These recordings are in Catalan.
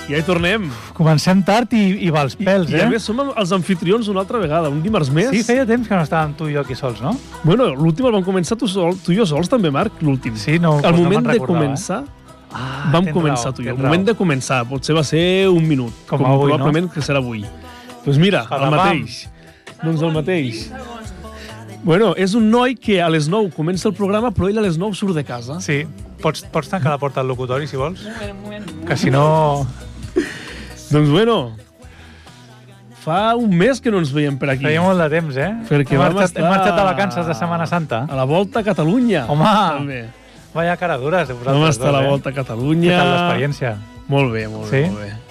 Ja hi tornem. Comencem tard i va als pèls, I a més som els anfitrions una altra vegada, un dimarts més. Sí, feia temps que no estàvem tu i jo aquí sols, no? Bueno, l'últim el vam començar tu i jo sols també, Marc, l'últim. Sí, no, al doncs moment no de començar, vam començar tu i jo. El moment de començar, potser va ser un minut. Com avui, probablement que serà avui. Doncs mira, el mateix. Doncs el mateix. Bueno, és un noi que a les 9 comença el programa, però ell a les 9 surt de casa. Sí. Pots tancar la porta del locutori, si vols? Un moment. Que si no... Doncs bueno, fa un mes que no ens veiem per aquí. Feia molt de temps, Perquè hem marxat de vacances de Setmana Santa. A la Volta a Catalunya. Home, també. Vaya cara dures de vosaltres. Vam estar a la Volta a Catalunya. Què tal l'experiència? Molt bé, molt bé.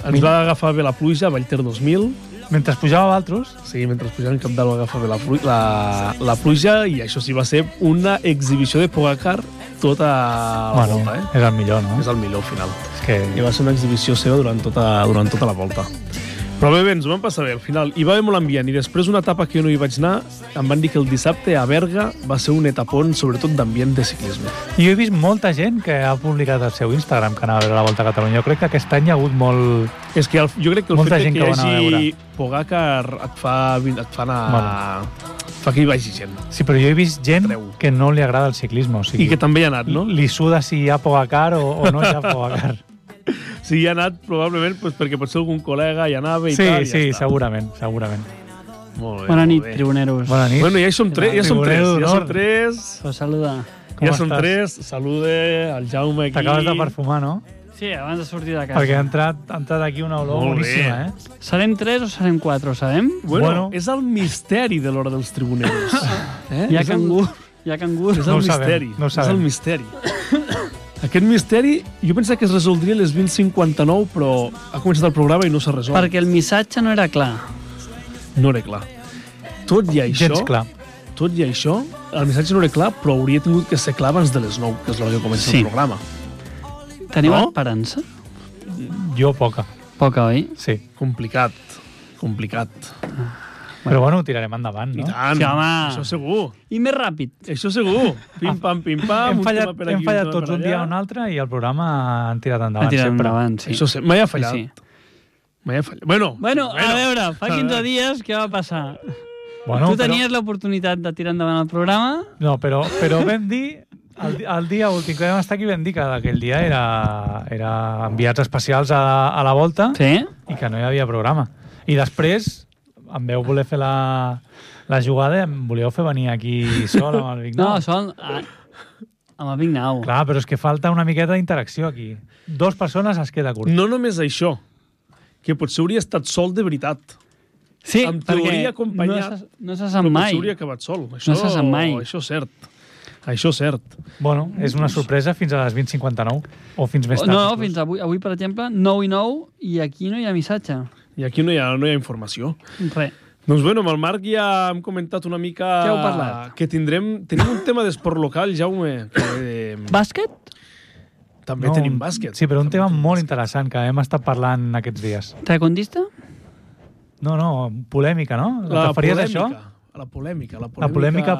Ens va agafar bé la pluja a Vallter 2000. Mentre pujava Valtros? Sí, mentre pujava en Cap d'Alt va agafar bé la pluja i això sí va ser una exhibició de Pogacar tota la volta, És el millor, no? És el millor, al final. I va ser una exhibició seva durant tota la volta. Però bé, ens ho vam passar bé, al final. Hi va haver molt ambient, i després una etapa que jo no hi vaig anar, em van dir que el dissabte a Berga va ser un etapon, sobretot d'ambient de ciclisme. I jo he vist molta gent que ha publicat al seu Instagram que anava a veure la Volta a Catalunya. Jo crec que aquest any hi ha hagut molt... És que jo crec que el molta fet que hi hagi Pogacar et fa anar... fa que hi vagi gent. Sí, però jo he vist gent que no li agrada el ciclisme. O sigui, i que també hi ha anat, no? Li suda si hi ha Pogacar o no hi ha Pogacar. Sí, hi ha anat probablement perquè potser algun col·lega hi anava i tal. Sí, sí, segurament. Molt bé. Bona nit, tribuneros. Bona nit. Bueno, ja som tres. Pues saluda. Ja som tres. Salude al Jaume aquí. T'acabes de perfumar, no? Sí, abans de sortir de casa. Perquè ha entrat aquí una olor boníssima, Serem 3 o serem 4, ho sabem? Bueno, és el misteri de l'hora dels tribuneros. Hi ha cangur. És el misteri. És el misteri. Aquest misteri, jo pensava que es resoldria a les 20:59, però ha començat el programa i no s'ha resolt. Perquè el missatge no era clar. No era clar. Tot i això, el missatge no era clar, però hauria tingut que ser clar abans de les 9, que és l'hora que comença el programa. Teniu esperança? Jo poca. Poca, oi? Sí. Complicat. Però bueno, ho tirarem endavant, no? I tant, sí, home. Això segur. I més ràpid. Això segur. Pim-pam, Hem fallat tots un dia o un altre i el programa han tirat endavant. Sí. Això sempre. Mai ha fallat. Sí. Bueno, a veure, fa 15 dies què va passar? Bueno, tu tenies l'oportunitat de tirar endavant el programa? No, però vam dir... El dia últim que vam estar aquí vam dir que aquell dia era enviats especials a la Volta i que no hi havia programa. I després em veu voler fer la jugada i em volíeu fer venir aquí sol amb el Vignau. No, sol amb el Vignau. Clar, però és que falta una miqueta d'interacció aquí. 2 persones es queda curt. No només això, que potser hauria estat sol de veritat. Sí, en teoria acompanyat. No se sap mai. Potser hauria acabat sol. No se sap mai. Això és cert. Bueno, és una sorpresa fins a les 20:59 o fins més tard. No, fins avui. Avui, per exemple, 9:09 i aquí no hi ha missatge. I aquí no hi ha informació. Res. Doncs bueno, amb el Marc ja hem comentat una mica... Què heu parlat? Que tenim un tema d'esport local, Jaume. Bàsquet? També tenim bàsquet. Sí, però un tema molt interessant que hem estat parlant aquests dies. Taekwondista? No, polèmica, no? La referies a això? La polèmica. La polèmica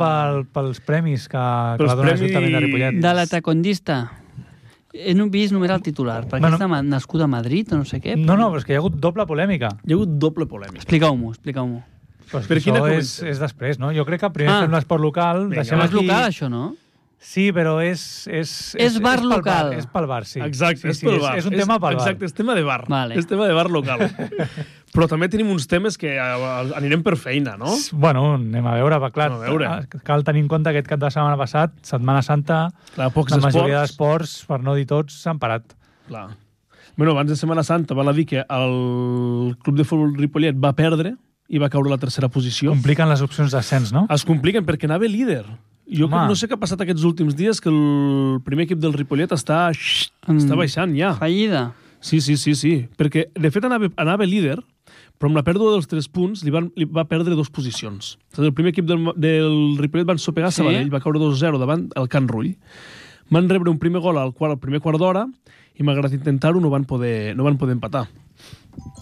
pels premis que va donar l'Ajuntament de Ripollet. De la taekwondista. He vist només el titular, perquè està nascut a Madrid o no sé què. No, però és que hi ha hagut doble polèmica. Hi ha hagut doble polèmica. Expliqueu-m'ho. Però això és després, no? Jo crec que primer fem l'esport local. És local, això, no? Sí, però és bar local. És pel bar, sí. Exacte, és pel bar. És un tema pel bar. Exacte, és tema de bar. Vale. És tema de bar local. Però també tenim uns temes que anirem per feina, no? Bueno, anem a veure, clar. Cal tenir en compte aquest cap de setmana passat, Setmana Santa, la majoria d'esports, per no dir tots, s'han parat. Clar. Bueno, abans de Setmana Santa val a dir que el Club de Futbol Ripollet va perdre i va caure a la tercera posició. Compliquen les opcions d'ascens, no? Es compliquen perquè anava líder. Jo no sé què ha passat aquests últims dies, que el primer equip del Ripollet està baixant ja. Fallida. Sí. Perquè, de fet, anava líder, però amb la pèrdua dels 3 punts li va perdre 2 posicions. El primer equip del Ripollet va ensopegar Sabadell, va caure 2-0 davant el Can Rull. Van rebre un primer gol al primer quart d'hora i, malgrat intentar-ho, no van poder empatar.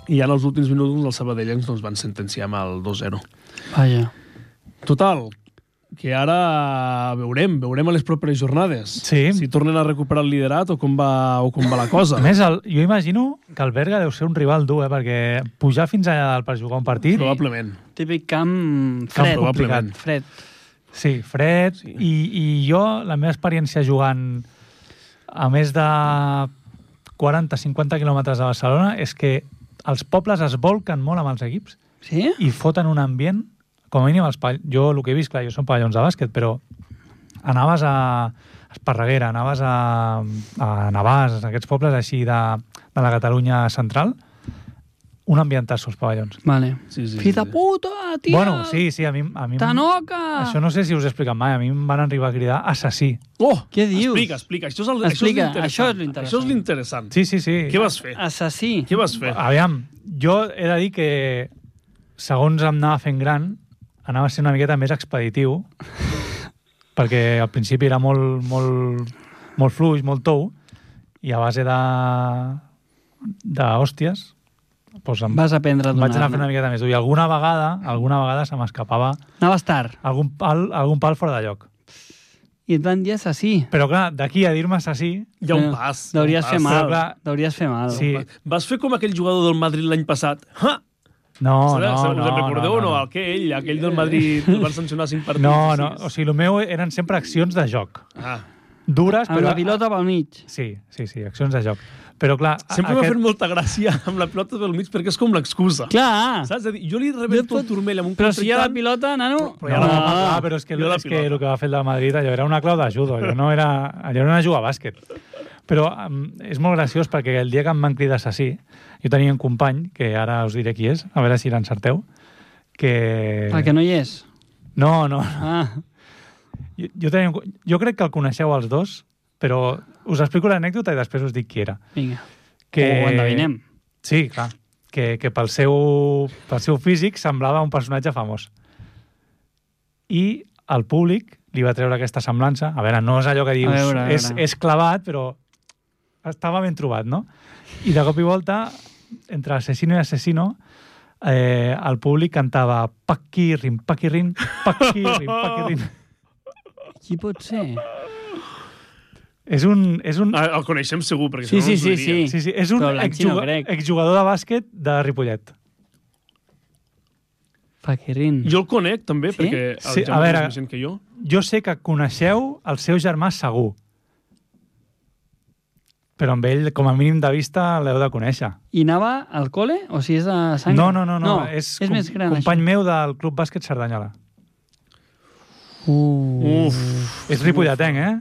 I ja en els últims minuts els sabadellencs van sentenciar amb el 2-0. Vaja. Total, que ara veurem a les properes jornades. Sí. Si tornen a recuperar el liderat o com va la cosa. A més, jo imagino que el Berga deu ser un rival dur, perquè pujar fins allà dalt per jugar un partit... Probablement. Típic camp fred. Probablement. Fred. Sí, fred. Sí. I jo, la meva experiència jugant a més de 40-50 quilòmetres de Barcelona és que els pobles es volquen molt amb els equips i foten un ambient, com a mínim jo el que he vist, clar, jo som pavellons de bàsquet, però anaves a Esparreguera, anaves a Navàs, aquests pobles així de la Catalunya central, un ambientasso als pavellons. Vale. Sí. Fill de puta, tia! Bueno, sí, a mi... Tanoca! Això no sé si us he explicat mai. A mi em van arribar a cridar assassí. Oh! Què dius? Explica. Això és l'interessant. Això és l'interessant. Sí. Què vas fer? Assassí. Què vas fer? Aviam, jo he de dir que segons em anava fent gran, anava a ser una miqueta més expeditiu, perquè al principi era molt fluix, molt tou, i a base d'hòsties vas aprendre a donar. Vaig anar fent una miqueta més dur. I alguna vegada se m'escapava... Anaves tard. Algun pal fora de lloc. I et van dir assassí. Però clar, d'aquí a dir-me assassí... Hi ha un pas. Deuries fer mal. Clar, Deuries fer mal. Sí. Vas fer com aquell jugador del Madrid l'any passat. Ha! No. Recordeu o no? Aquell del Madrid el van sancionar 5 partits. No. O sigui, el meu eren sempre accions de joc. Dures, però... Amb la pilota pel mig. Sí, accions de joc. Però clar... Sempre m'ha fet molta gràcia amb la pilota pel mig perquè és com l'excusa. Clar! Saps? Jo li rebento el turmell amb un però si hi ha la pilota, nano... Però és que el que va fer el de Madrid allò era una clau de judo, allò era una juga a bàsquet. Però és molt graciós perquè el dia que em van cridar assassí, jo tenia un company, que ara us diré qui és, a veure si l'encerteu, que... El que no hi és? No. Jo crec que el coneixeu els dos, però us explico l'anècdota i després us dic qui era. Vinga. Ho endevinem. Sí, clar. Que pel seu físic semblava un personatge famós. I el públic li va treure aquesta semblança. A veure, no és allò que dius... A veure. És clavat, però estava ben trobat, no? I de cop i volta, entre assassino i assassino, el públic cantava Paquirin, Paquirin, Paquirin, Paquirin. Qui pot ser? És un... El coneixem segur, perquè sí. És un exjugador de bàsquet de Ripollet. Paquirin. Jo el conec, també, perquè el Jaume és més gent que jo. Jo sé que coneixeu el seu germà segur. Però amb ell, com a mínim de vista, l'heu de conèixer. I anava al col·le? O si és de sang? No. És més gran, company meu del Club Bàsquet Cerdanyola. És ripolletenc, eh?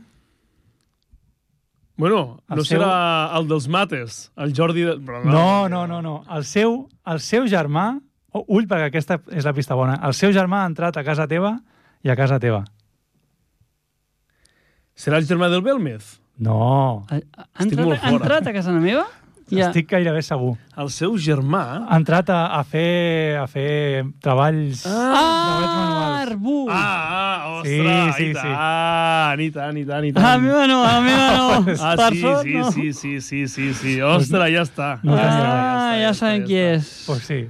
Bueno, serà el dels mates, el Jordi... No. El seu germà... Ull, perquè aquesta és la pista bona. El seu germà ha entrat a casa teva i a casa teva. Serà el germà del Belmez? No. Ha entrat a casa meva? Estic gairebé segur. El seu germà... Ha entrat a fer treballs... Arbú! Ostres, i tant. A mi no. Sí. Ostres, ja està. Ja sabem qui és. Pues sí.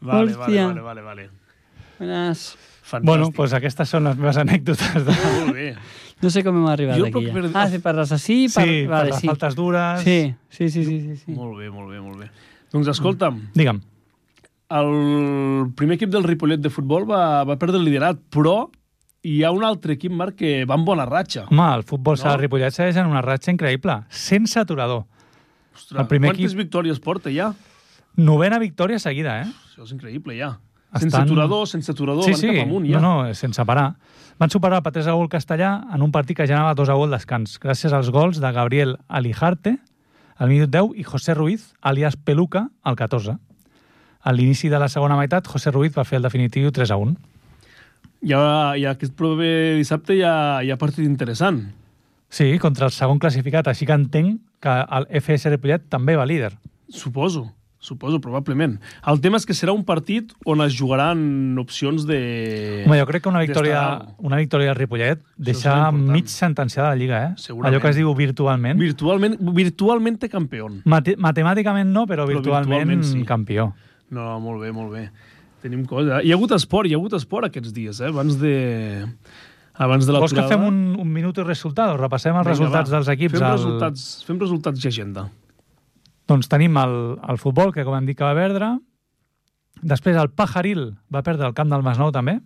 Vale. Buenas. Fantàstic. Bueno, pues aquestes són les meves anècdotes. Molt bé. No sé com hem arribat aquí. Sí, per l'assassí... Sí, per les faltes dures... Sí. Molt bé. Doncs escolta'm. Digue'm. El primer equip del Ripollet de futbol va perdre el liderat, però hi ha un altre equip, Marc, que va amb bona ratxa. Home, el futbol sala Ripollet segueix en una ratxa increïble, sense aturador. Ostres, quantes victòries porta ja? 9a victòria seguida, eh? Això és increïble, ja. Sense aturador, van cap amunt, ja. No, sense parar. Van superar per 3-0 Castellà en un partit que ja anava 2-0 al descans, gràcies als gols de Gabriel Alijarte al minut 10 i José Ruiz, alias Peluca, al 14. A l'inici de la segona meitat, José Ruiz va fer el definitiu 3-1. Ja aquest proper dissabte hi ha partit interessant. Sí, contra el segon classificat, així que entenc que el FS Ripollet també va líder. Suposo, probablement. El tema és que serà un partit on es jugaran opcions de... Home, jo crec que una victòria del Ripollet deixa mig sentenciada la Lliga, eh? Segurament. Allò que es diu virtualment. Virtualment campió. Matemàticament no, però virtualment sí. Campió. No, molt bé. Tenim cosa. Hi ha hagut esport aquests dies, eh? abans de Vols que l'aturada... fem un minut i resultats? Repassem els resultats dels equips. Fem resultats i agenda. Doncs tenim el futbol, que com hem dit que va perdre. Després el Pajaril va perdre el camp del Masnou també.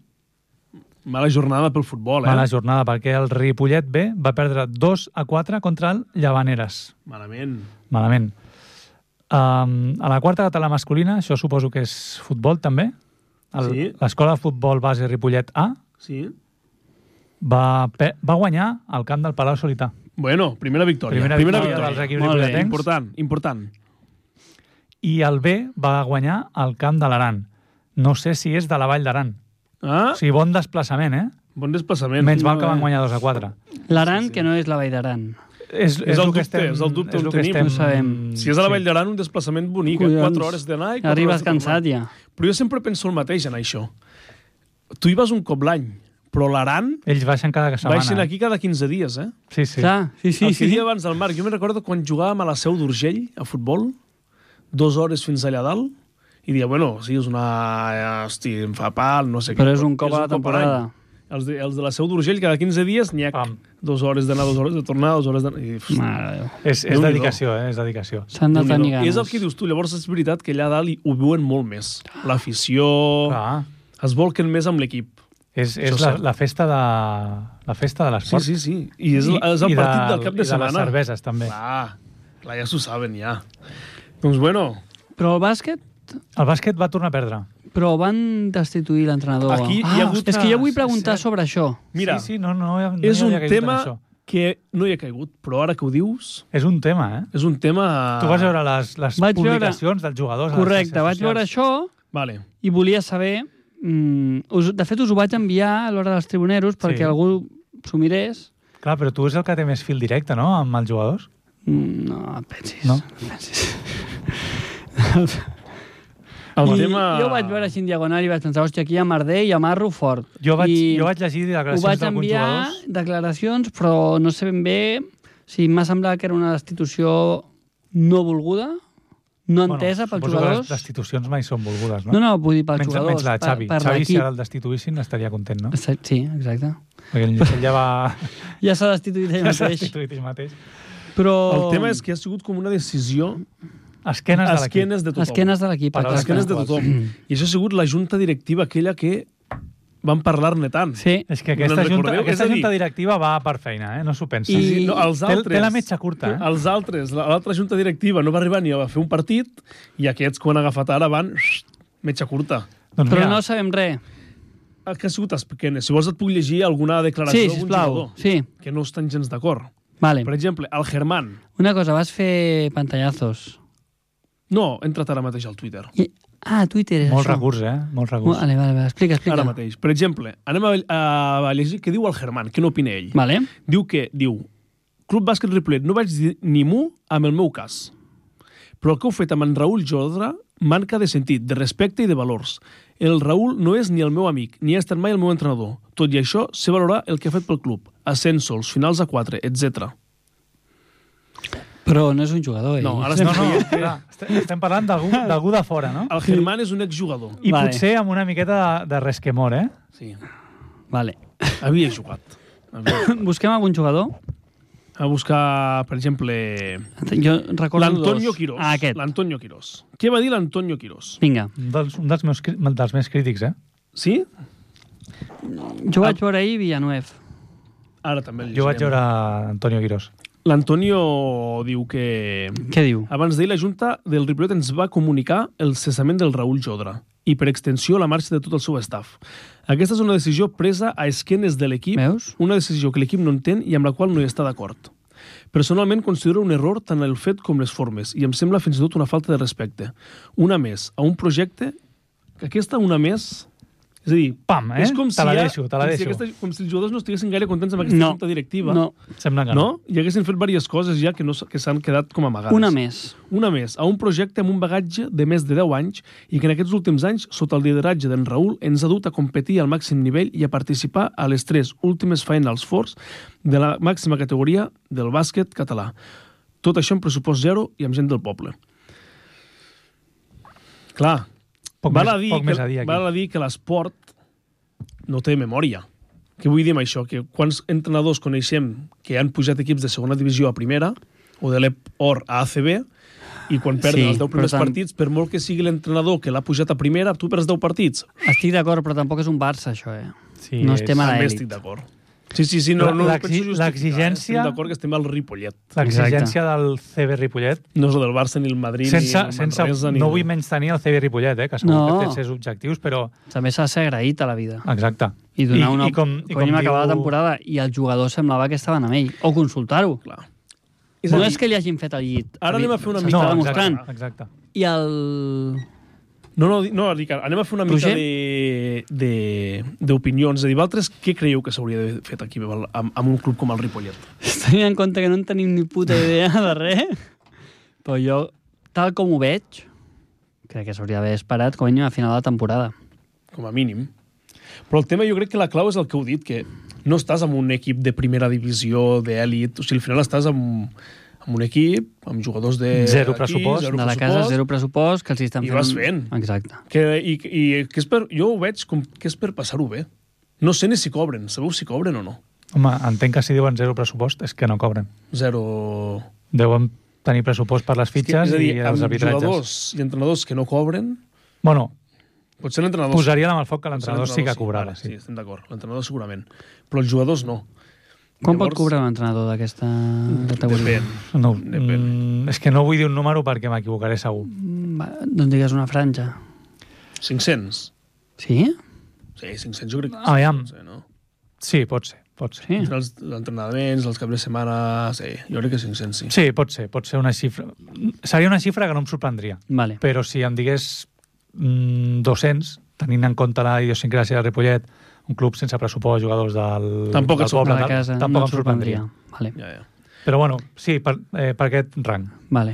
Mala jornada pel futbol, Mala jornada, perquè el Ripollet B va perdre 2-4 contra el Llavaneres. Malament. A la quarta català masculina, això suposo que és futbol també. L'escola de futbol base Ripollet A va guanyar al camp del Palau Solità. Bueno, primera victòria. Primera victòria dels equips ripolletens. Important. I el B va guanyar al camp de l'Aran. No sé si és de la Vall d'Aran. O sigui, bon desplaçament, Bon desplaçament. Menys mal que van guanyar 2-4. L'Aran, que no és la Vall d'Aran. És el dubte on tenim. No sabem. Si és a la Vall d'Aran, un desplaçament bonic, 4 hores d'anar i 4 hores de tornar. Arribes cansat ja. Però jo sempre penso el mateix en això. Tu hi vas un cop l'any, però l'Aran... Ells baixen cada setmana. Baixen aquí cada 15 dies, Sí. Clar, sí. El que dia abans del Marc, jo me'n recordo quan jugàvem a la Seu d'Urgell, a futbol, 2 hores fins allà dalt, i dia, bueno, sí, és una... Hosti, em fa pal, no sé què. Però és un cop a la temporada. Els de la Seu d'Urgell, cada 15 dies, n'hi ha 2 hores d'anar, 2 hores de tornar, 2 hores d'anar... Mare Déu. És dedicació, és dedicació. S'han de tenir ganes. És el que dius tu, llavors és veritat que allà dalt ho viuen molt més. L'afició... Es volquen més amb l'equip. És la festa de l'esport. Sí. I és el partit del cap de setmana. I de les cerveses, també. Clar, ja s'ho saben, ja. Doncs bueno... Però el bàsquet... El bàsquet va tornar a perdre. Però van destituir l'entrenador. Aquí hi ha hagut és que jo vull preguntar sobre això. Mira, no és un tema que no hi ha caigut, però ara que ho dius... És un tema, És un tema... Tu vas veure les publicacions dels jugadors. Correcte, vaig veure això i volia saber... De fet, us ho vaig enviar a l'hora dels tribuneros perquè algú s'ho mirés. Clar, però tu és el que té més fil directe, no?, amb els jugadors? No, pensis. No? Jo vaig veure així en diagonal i vaig pensar, hòstia, aquí hi ha merder i amarro fort. Jo vaig llegir declaracions d'alguns jugadors. Ho vaig enviar declaracions, però no sé ben bé si m'ha semblat que era una destitució no volguda, no entesa pels jugadors. Les destitucions mai són volgudes, no? No, vull dir pels jugadors. Menys la Xavi. Xavi, si ara el destituïssin, estaria content, no? Sí, exacte. Perquè ell ja va... Ja s'ha destituït ell mateix. Però... El tema és que ha sigut com una decisió... Esquenes de tothom. Esquenes de l'equip. Esquenes de tothom. I això ha sigut la junta directiva aquella que van parlar-ne tant. Sí. És que aquesta junta directiva va per feina, no s'ho pensa. Té la metxa curta. Els altres, l'altra junta directiva no va arribar ni a fer un partit i aquests, quan han agafat ara, van metxa curta. Però no sabem res. Que ha sigut esquenes. Si vols et puc llegir alguna declaració d'algun jugador que no estan gens d'acord. Per exemple, el Germán. Una cosa, vas fer pantallazos. No, he entrat ara mateix al Twitter. Twitter és Molt això. recurs, Molt recurs. Vale, explica. Ara mateix. Per exemple, anem a llegir què diu el Germán, què n'opina ell. Vale. Diu Club Bàsquet Ripollet, no vaig dir ni mu amb el meu cas. Però el que heu fet amb en Raül Jodra manca de sentit, de respecte i de valors. El Raül no és ni el meu amic, ni ha estat mai el meu entrenador. Tot i això, sé valorar el que ha fet pel club. Ascensos, finals a 4, etc. Però no és un jugador, No, ara estem parlant d'algú de fora, no? El Germán és un exjugador. I potser amb una miqueta de resquemor, Sí. Vale. Havia jugat. Busquem algun jugador? A buscar, per exemple... Jo recordo l'Antonio Quirós. Aquest. L'Antonio Quirós. Què va dir l'Antonio Quirós? Vinga. Un dels més crítics, Sí? Jo vaig veure ahir Villanueva. Ara també el llegirem. Jo vaig veure Antonio Quirós. L'Antonio diu que... Què diu? Abans d'ahir la Junta del Ripollet ens va comunicar el cessament del Raül Jodra i, per extensió, la marxa de tot el seu staff. Aquesta és una decisió presa a esquenes de l'equip, una decisió que l'equip no entén i amb la qual no hi està d'acord. Personalment considero un error tant el fet com les formes i em sembla fins i tot una falta de respecte. Una més a un projecte... Aquesta una més... És a dir, pam, és com te la deixo. Com si els jugadors no estiguessin gaire contents amb aquesta junta directiva. No. Sembla que no. I haguessin fet diverses coses ja que s'han quedat com amagades. Una més. Una més, a un projecte amb un bagatge de més de 10 anys i que en aquests últims anys, sota el lideratge d'en Raül, ens ha dut a competir al màxim nivell i a participar a les 3 últimes Finals Fours de la màxima categoria del bàsquet català. Tot això amb pressupost zero i amb gent del poble. Clar, val a dir que l'esport no té memòria. Què vull dir amb això? Que quants entrenadors coneixem que han pujat equips de segona divisió a primera o de l'Or a ACB i quan perden els 10 primers partits, per molt que sigui l'entrenador que l'ha pujat a primera, tu perds 10 partits. Estic d'acord, però tampoc és un Barça, això, Sí, no estem a l'elit. També estic d'acord. Sí, no l'exigència... Estem d'acord que estem al Ripollet. L'exigència del CB Ripollet... No és el del Barça, ni el Madrid, ni el Manresa... No vull menys tenir el CB Ripollet, que segur que té els seus objectius, però... També s'ha de ser agraït a la vida. Exacte. I donar una... Com acabar la temporada i els jugadors semblava que estaven amb ell. O consultar-ho. No és que li hagin fet el llit. Ara anem a fer una mica... No, exacte. I el... No, Ricard, anem a fer una mica d'opinions. És a dir, vosaltres què creieu que s'hauria d'haver fet aquí amb un club com el Ripollet? Tenint en compte que no en tenim ni puta idea de res, però jo, tal com ho veig, crec que s'hauria d'haver esperat com a mínim a final de temporada. Com a mínim. Però el tema jo crec que la clau és el que heu dit, que no estàs en un equip de primera divisió, d'èlit, o sigui, al final estàs amb un equip, amb jugadors de... Zero pressupost. De la casa, zero pressupost, que els estan fent... I vas fent. Exacte. I que és per... Jo ho veig com que és per passar-ho bé. No sé ni si cobren. Sabeu si cobren o no? Home, entenc que si diuen zero pressupost és que no cobren. Zero... Deuen tenir pressupost per les fitxes i els arbitratges. Amb jugadors i entrenadors que no cobren... Bueno, potser l'entrenador... Posaria la mà al foc que l'entrenador sí que cobrava. Sí, estem d'acord. L'entrenador segurament. Però els jugadors no. Quan pot cobrar un entrenador d'aquesta categoria? Depèn. És que no vull dir un número perquè m'equivocaré segur. Doncs digues una franja. 500. Sí? Sí, 500 jo crec que sí. Sí, pot ser. Sí. Els entrenaments, els caps de setmana... Sí, jo crec que 500, sí. Sí, pot ser una xifra. Seria una xifra que no em sorprendria. Vale. Però si em digués 200, tenint en compte la idiosincràsia de Ripollet, un club sense pressupost, jugadors del poble, de casa, tampoc em sorprendria. Vale. Ja. Però bueno, sí, per aquest rang. Vale.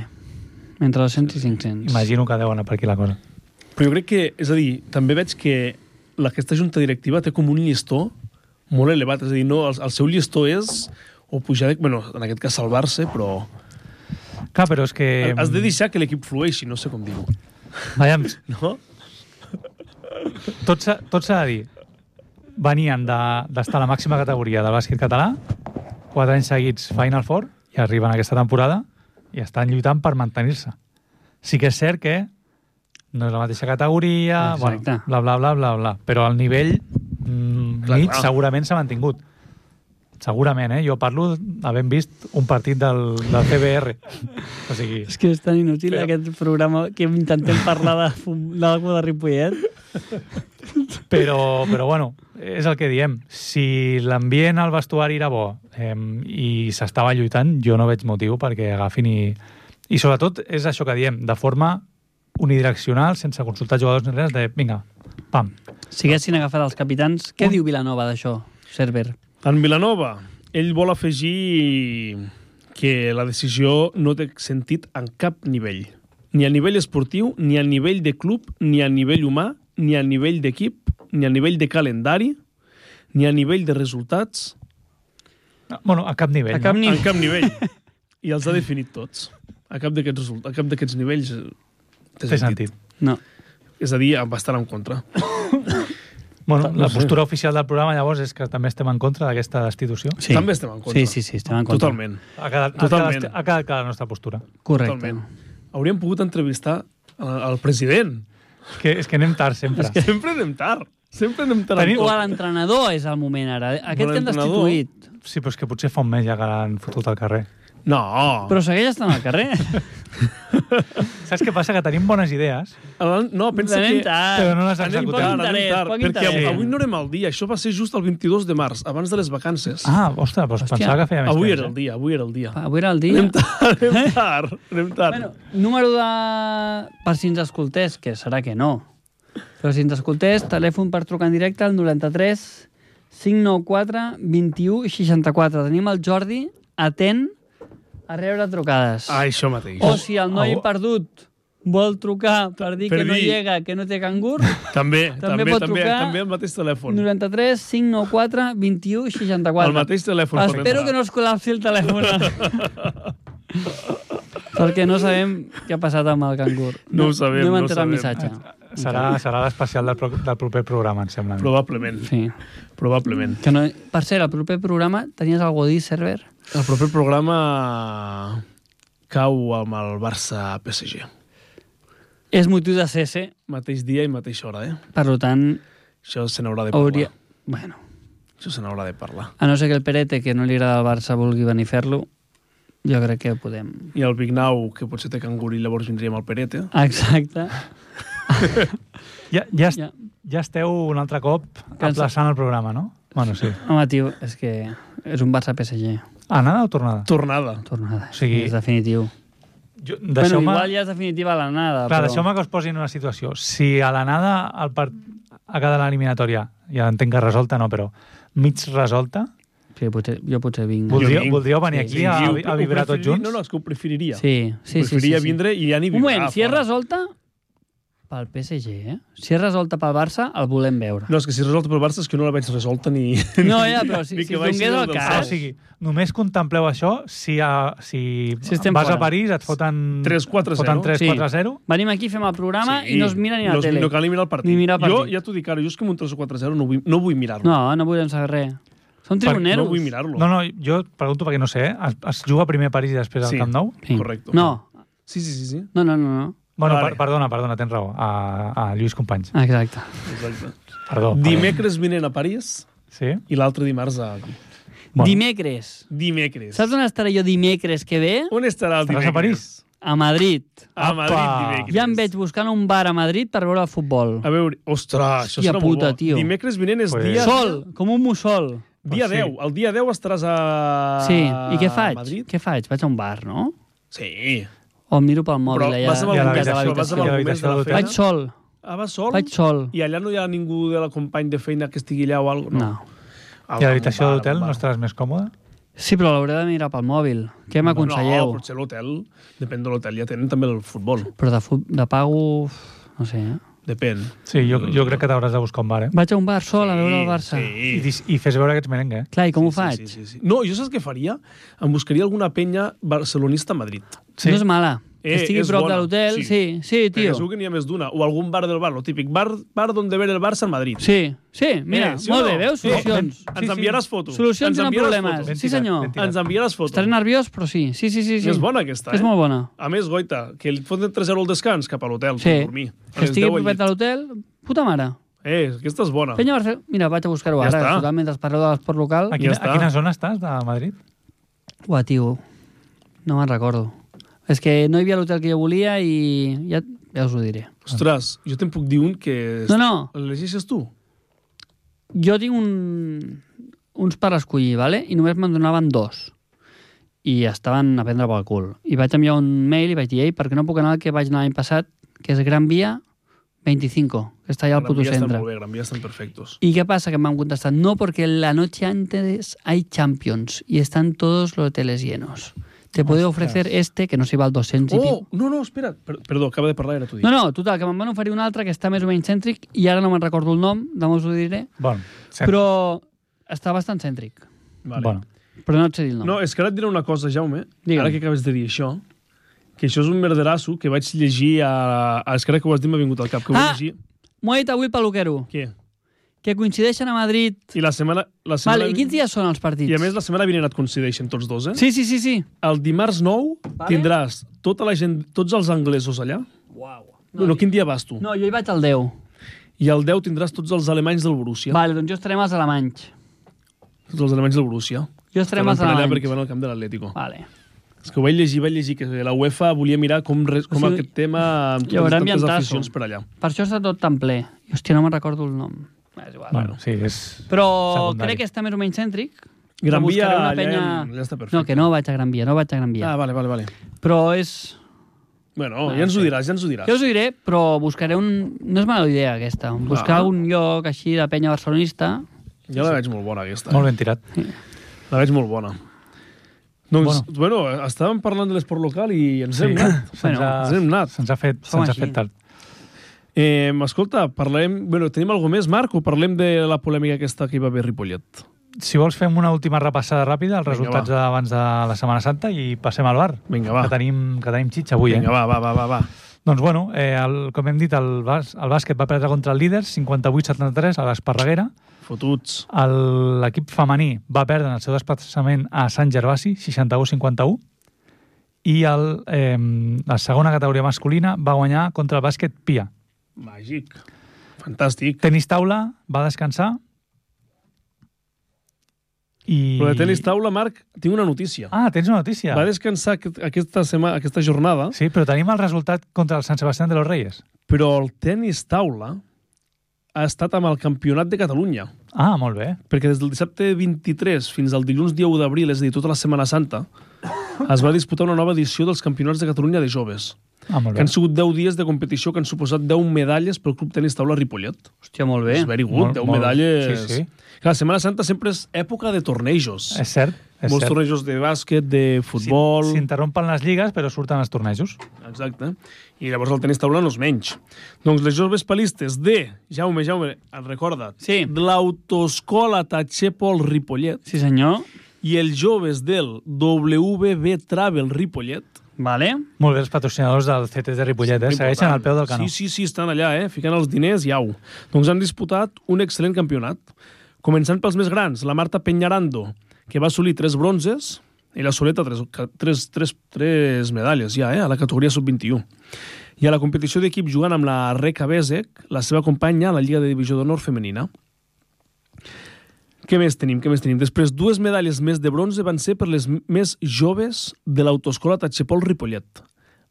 Entre 200 i 500. Imagino que deu anar per aquí la cosa. Però jo crec que, és a dir, també veig que aquesta junta directiva té com un llistó molt elevat. És a dir, no, el seu llistó és o pujar, bueno, en aquest cas salvar-se, però... Clar, però és que... Has de deixar que l'equip flueixi, no sé com dir-ho. Veiem. No? Tot s'ha de dir. Venien d'estar a la màxima categoria del bàsquet català, 4 anys seguits Final Four, i arriben aquesta temporada i estan lluitant per mantenir-se. Sí que és cert que no és la mateixa categoria, bueno, bla, però el nivell mig segurament s'ha mantingut. Segurament, Jo parlo havent vist un partit del CBR. O sigui... És que és tan inútil aquest programa que intentem parlar d'algú de Ripollet. Però bueno, és el que diem. Si l'ambient al vestuari era bo i s'estava lluitant, jo no veig motiu perquè agafin i sobretot és això que diem, de forma unidireccional, sense consultar jugadors ni res, de vinga, pam. Si haguessin agafat els capitans, què diu Vilanova d'això, Cerver? En Vilanova, ell vol afegir que la decisió no té sentit en cap nivell. Ni a nivell esportiu, ni a nivell de club, ni a nivell humà, ni a nivell d'equip, ni a nivell de calendari, ni a nivell de resultats. Bueno, a cap nivell. En cap nivell. I els ha definit tots. A cap d'aquests nivells té sentit. No. És a dir, va estar en contra. Bueno, la postura oficial del programa, llavors, és que també estem en contra d'aquesta destitució. Sí. També estem en contra. Sí, estem en contra. Totalment. Ha quedat clara la nostra postura. Correcte. Totalment. Hauríem pogut entrevistar el president. És que anem tard, sempre. És que sempre anem tard. O a l'entrenador és el moment, ara. Aquest que han destituït. Sí, però és que potser fa un mes ja que l'han fotut al carrer. No. Però segueix estant al carrer. Saps què passa? Que tenim bones idees. No, pensa que... Però no les executem. Perquè avui no anem al dia. Això va ser just el 22 de març, abans de les vacances. Ah, ostres, doncs pensava que feia més temps. Avui era el dia. Avui era el dia. Anem tard. Bueno, número de... Per si ens escoltés, que serà que no. Però si ens escoltés, telèfon per trucar en directe al 93 594 21 64. Tenim el Jordi atent a rebre trucades. Això mateix. O si el noi perdut vol trucar per dir que no llega, que no té cangur, també pot trucar també el mateix telèfon. 93 594 21 64. El mateix telèfon. Espero que no es col·lapsi el telèfon. Perquè no sabem què ha passat amb el cangur. No ho sabem. No hem entrat el missatge. Serà l'especial del proper programa, em sembla. Probablement. Sí. Probablement. Que no... Per cert, el proper programa tenies algú a dir, Server? El proper programa cau amb el Barça-PSG. És motiu de cese. Mateix dia i mateixa hora, Per tant... Això se n'haurà de parlar. Bueno. Això se n'haurà de parlar. A no ser que el Perete, que no li agrada el Barça, vulgui venir a fer-lo, jo crec que podem... I el Vignau, que potser té cangur i llavors vindríem al Perete. Exacte. Ja esteu un altre cop aplaçant el programa, no? Bueno, sí. Home, tio, és que és un Barça-PSG. Anada o tornada? Tornada. Tornada, o sigui, és definitiu. Bueno, igual ja és definitiva l'anada. Clar, però... deixeu-me que us posi en una situació. Si a l'anada ha quedat l'eliminatòria, ja entenc que resolta, no, però mig resolta... Sí, jo potser vinc. Voldríeu venir aquí a vibrar tots junts? No, és que ho preferiria. Sí. Preferiria vindre i ja ni vibrar. Un moment, si és resolta... Pel PSG, Si és resolta pel Barça, el volem veure. No, és que si és resolta pel Barça és que no la veig resolta ni... No, però si donés el cas... O sigui, només contempleu això si vas a París et foten 3-4-0. Venim aquí, fem el programa i no es mira ni a la tele. No cal ni mirar el partit. Jo ja t'ho dic ara, jo és que amb un 3-4-0 no vull mirar-lo. No volem saber res. Són tribuneros. No vull mirar-lo. No, jo pregunto perquè no sé, es juga primer a París i després al Camp Nou? Sí. Correcte. No. Sí. No. Bueno, perdona, tens raó. A Lluís Companys. Exacte. Perdó. Dimecres vinent a París i l'altre dimarts a... Dimecres. Saps on estaré jo dimecres que ve? On estarà el dimecres? Estaràs a París? A Madrid. A Madrid dimecres. Ja em veig buscant un bar a Madrid per veure el futbol. A veure, ostres, això serà molt bo. Tio. Dimecres vinent és dia... Sol, com un mussol. Dia 10. El dia 10 estaràs a i què faig? Madrid? Què faig? Vaig a un bar, no? Sí. O em miro pel mòbil allà. Vas amb el mes de la feina? Vaig sol. Vas sol? Vaig sol. I allà no hi ha ningú de la company de feina que estigui allà o alguna cosa? No. I a l'habitació d'hotel no estaràs més còmode? Sí, però l'hauré de mirar pel mòbil. Què m'aconselleu? No, potser l'hotel, depèn de l'hotel, ja tenen també el futbol. Però de pago, no sé, Depèn. Sí, jo crec que t'hauràs de buscar un bar, Vaig a un bar sol a veure el Barça. I fes veure que ets merengue. Clar, i com ho faig? Sí. No, jo saps què faria? Em buscaria alguna penya barcelonista a Madrid. No és mala. Que estigui prop de l'hotel, sí, tio. Perquè segur que n'hi ha més d'una. O algun bar del bar, lo típic. Bar donde ver el Barça en Madrid. Sí, mira, molt bé, veus? Solucions. Ens enviaràs fotos. Solucions i no problemes. Sí, senyor. Ens enviaràs fotos. Estaré nerviós, però sí. Sí. És bona aquesta, És molt bona. A més, goita, que li foten 3 euros al descans cap a l'hotel, per dormir. Que estigui propet de l'hotel, puta mare. Aquesta és bona. Penya Barcelona. Mira, vaig a buscar-ho ara. Totalment, mentre parleu de l'esport local. A quina zona estàs de Madrid? Uah, tio, no me'n recordo. És que no hi havia l'hotel que jo volia i ja us ho diré. Ostres, jo te'n puc dir un que... No. L'elegeixes tu? Jo tinc uns per escollir, ¿vale? I només me'n donaven 2. I estaven a prendre pel cul. I vaig enviar un mail i vaig dir, per què no puc anar al que vaig anar l'any passat, que és Gran Via 25, que està allà al puto centre. Estan molt bé, Gran Via estan perfectos. ¿Y qué pasa? Que me han contestado, no, porque la noche antes hay Champions y están todos los hoteles llenos. Te puedo ofrecer que no s'hi val 200 i pico. No, espera. Perdó, acaba de parlar, era tu dit. No, total, que me'n van oferir un altre que està més o menys cèntric i ara no me'n recordo el nom, demà us ho diré. Bon, però està bastant cèntric. Vale. Bueno. Però no et sé dir el nom. No, és que ara et diré una cosa, Jaume. Digue'm. Ara que acabes de dir això, que això és un merderasso que vaig llegir és que ara que ho has dit m'ha vingut al cap. Que ho vaig llegir. M'ho ha dit avui el peluquero. Què? Que coincideixen a Madrid... I la setmana... Vale, i quins dies són els partits? I a més, la setmana vinent et coincideixen tots dos, Sí. El dimarts 9 tindràs tota la gent, tots els anglesos allà. Uau. No, quin dia vas tu? No, jo hi vaig al 10. I al 10 tindràs tots els alemanys del Borussia. Vale, doncs jo estarem als alemanys. Tots els alemanys del Borussia. Jo estarem als alemanys. Perquè van al camp de l'Atlético. Vale. És que ho vaig llegir que la UEFA volia mirar com aquest tema amb totes les aficions per allà. Per això està tot tan ple. Hòstia, no me'n recordo el nom. És igual. Bueno, sí, és però secundari. crec que està més o menys cèntric. Gran Via penya... ja està perfecte. No, que no vaig a Gran Via, Ah, vale. Però és... Bueno, ja ens ho diràs. Jo us ho diré, però buscaré un... No és mala idea, aquesta. Buscar un lloc així de penya barcelonista. Ja la veig molt bona, aquesta. Molt ben tirat. La veig molt bona. Doncs, bueno, estàvem parlant de l'esport local i ens hem anat. Se'ns ha fet tard. Escolta, tenim alguna més, Marc, o parlem de la polèmica aquesta que hi va haver a Ripollet? Si vols, fem una última repassada ràpida, els resultats d'abans de la Setmana Santa i passem al bar. Vinga, va. Que tenim xitxa avui, Vinga, va. Doncs bueno, com hem dit, el bàsquet va perdre contra el líder, 58-73, a l'Esparreguera. Fotuts. L'equip femení va perdre en el seu desplaçament a Sant Gervasi, 61-51. I la segona categoria masculina va guanyar contra el bàsquet Pia. Màgic. Fantàstic. Tenis taula va descansar. Però de tenis taula, Marc, tinc una notícia. Ah, tens una notícia. Va descansar aquesta jornada. Sí, però tenim el resultat contra el Sant Sebastián de los Reyes. Però el tenis taula ha estat amb el Campionat de Catalunya. Ah, molt bé. Perquè des del dissabte 23 fins al dilluns dia 1 d'abril, és a dir, tota la Setmana Santa, es va disputar una nova edició dels Campionats de Catalunya de joves. Ah, molt bé. Que han sigut 10 dies de competició que han suposat 10 medalles pel Club Tenis Taula Ripollet. Hòstia, molt bé. És very good, 10 medalles. Sí, sí. Clar, la Setmana Santa sempre és època de tornejos. És cert. Molts tornejos de bàsquet, de futbol... S'interrompen les lligues, però surten els tornejos. Exacte. I llavors el tenis taula no és menys. Doncs les joves palistes de... Jaume, et recorda? Sí. De l'Autoescola Tatxer Pol Ripollet. Sí, senyor. I els joves del WB Travel Ripollet. Vale. Molt bé, els patrocinadors del CT de Ripollet, segueixen al peu del canó. Sí, estan allà, ficant els diners i au. Doncs han disputat un excel·lent campionat. Començant pels més grans, la Marta Peñarando, que va assolir 3 bronzes, ella soleta 3 medalles ja, a la categoria sub-21. I a la competició d'equip jugant amb la Reca Besec, la seva companya a la Lliga de Divisió d'Honor femenina. Què més tenim? Després, 2 medalles més de bronze van ser per les més joves de l'Autoescola Tatxer Pol Ripollet,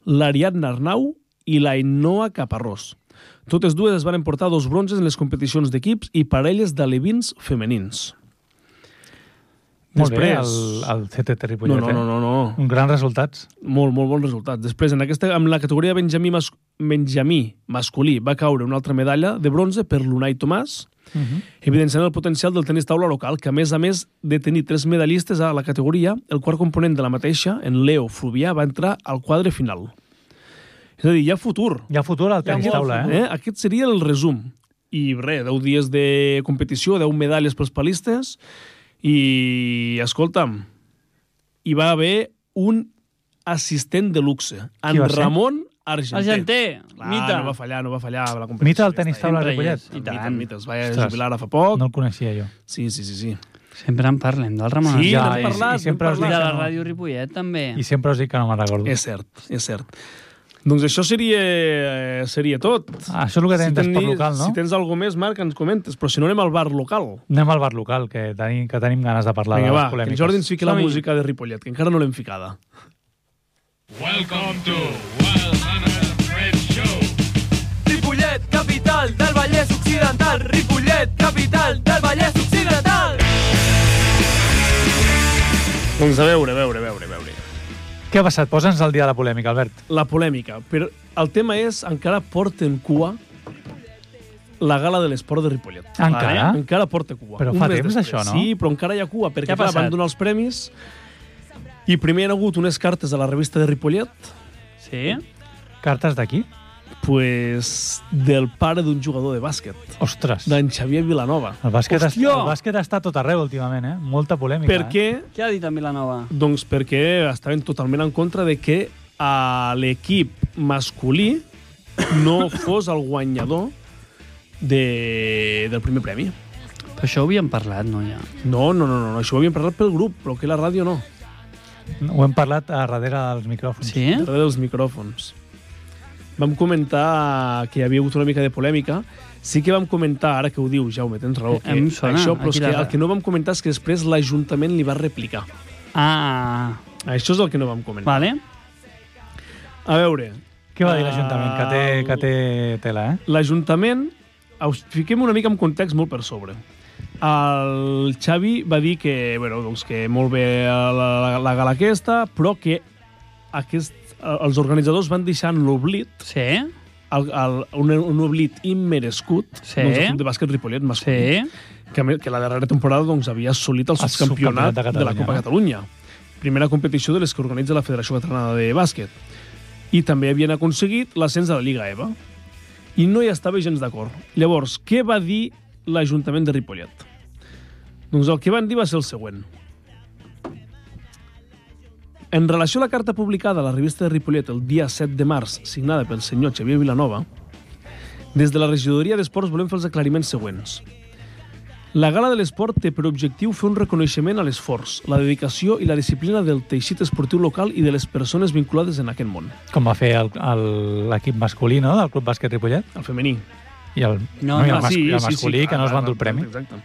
l'Ariadna Arnau i la Ainhoa Caparrós. Totes dues es van emportar 2 bronzes en les competicions d'equips i parelles d'alevins femenins. Molt bé, el CT Ripollet. No. Un gran resultats. Molt bons resultats. Després, amb la categoria Benjamí masculí va caure una altra medalla de bronze per l'Unai Tomàs, evidenciant el potencial del tenis taula local, que a més de tenir 3 medallistes a la categoria, el quart component de la mateixa, en Leo Fluvià, va entrar al quadre final. És a dir, hi ha futur. Hi ha futur al tenis taula, Aquest seria el resum. I res, 10 dies de competició, 10 medalles pels palistes, i, escolta'm, hi va haver un assistent de luxe, en Ramon Argenter. Mita. No va fallar a la competició. Mita del tenis taula Ripollet. Mita, es va jubilar fa poc. No el coneixia jo. Sí. Sempre en parlem del Ramon Argenter. Sí, n'hem parlat. I de la Ràdio Ripollet, també. I sempre us dic que no me'n recordo. És cert. Doncs això seria tot. Això és el que tenim d'esport local, no? Si tens alguna més, Marc, ens comentes. Però si no, anem al bar local. Anem al bar local, que tenim ganes de parlar de les polèmiques. Que en Jordi ens fiqui la música de Ripollet, que encara no l'hem ficada. Welcome to Wild Hunter Red Show. Ripollet, capital del Vallès Occidental. Ripollet, capital del Vallès Occidental. Doncs a veure. Què ha passat? Posa'ns al dia de la polèmica, Albert. La polèmica. Però el tema és, encara porta en cua la gala de l'esport de Ripollet. Encara? Encara porta cua. Però fa temps això, no? Sí, però encara hi ha cua, perquè clar, van donar els premis i primer hi ha hagut unes cartes a la revista de Ripollet. Sí? Cartes d'aquí? Pues del pare d'un jugador de bàsquet. Ostres. D'en Xavier Vilanova. El bàsquet està tot arreu últimament, Molta polèmica. Per què? Què ha dit en Vilanova? Doncs perquè estaven totalment en contra de que a l'equip masculí no fos el guanyador del primer premi. Però això ho havíem parlat, no, ja? No, això ho havíem parlat pel grup, però que la ràdio no. Ho hem parlat a darrere dels micròfons. Sí? A darrere dels micròfons. Vam comentar que hi havia hagut una mica de polèmica. Sí que vam comentar, ara que ho diu, Jaume, tens raó, que això, però és que el que no vam comentar és que després l'Ajuntament li va replicar. Ah. Això és el que no vam comentar. Vale. A veure... Què va dir l'Ajuntament? Que té tela, L'Ajuntament, fiquem una mica en context molt per sobre. El Xavi va dir que, doncs que molt bé la gala aquesta, però que els organitzadors van deixar en l'oblit un oblit immerescut doncs, el Club de Bàsquet Ripollet masculí, que la darrera temporada doncs, havia assolit el subcampionat de la Copa Catalunya. Primera competició de les que organitza la Federació Catalana de Bàsquet. I també havien aconseguit l'ascens a la Lliga EVA. I no hi estava gens d'acord. Llavors, què va dir l'Ajuntament de Ripollet? Doncs el que van dir va ser el següent. En relació a la carta publicada a la revista de Ripollet el dia 7 de març, signada pel senyor Xavier Vilanova, des de la regidoria d'Esports volem fer els aclariments següents. La Gala de l'Esport té per objectiu fer un reconeixement a l'esforç, la dedicació i la disciplina del teixit esportiu local i de les persones vinculades en aquest món. Com va fer l'equip masculí, no?, del Club Bàsquet Ripollet. El femení. I el masculí, que no es van dur el premi. Exacte.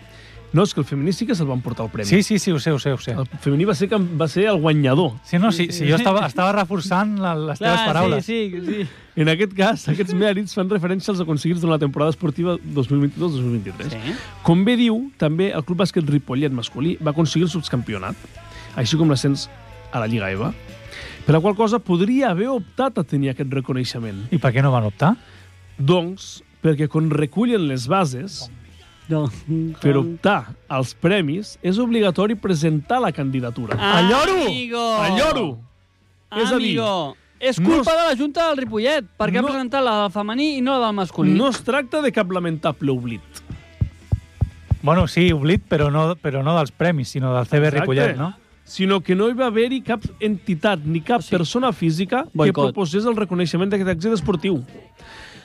No, és que el femení sí que se'l van portar el premi. Sí, ho sé. El femení va ser el guanyador. Sí, jo estava reforçant les teves paraules. Sí. En aquest cas, aquests mèrits fan referència als aconseguits durant la temporada esportiva 2022-2023. Sí. Com bé diu, també el Club Bàsquet Ripollet masculí va aconseguir el subcampionat, així com l'ascens a la Lliga EVA, per la qual cosa podria haver optat a tenir aquest reconeixement. I per què no van optar? Doncs, perquè quan recullen les bases, per optar als premis, és obligatori presentar la candidatura. Alloro! És a dir, és culpa de la Junta del Ripollet, perquè ha presentat la del femení i no la del masculí. No es tracta de cap lamentable oblit. Bueno, sí, oblit, però no dels premis, sinó del CB Ripollet, no? Sinó que no hi va haver-hi cap entitat ni cap persona física que proposés el reconeixement d'aquest èxit esportiu.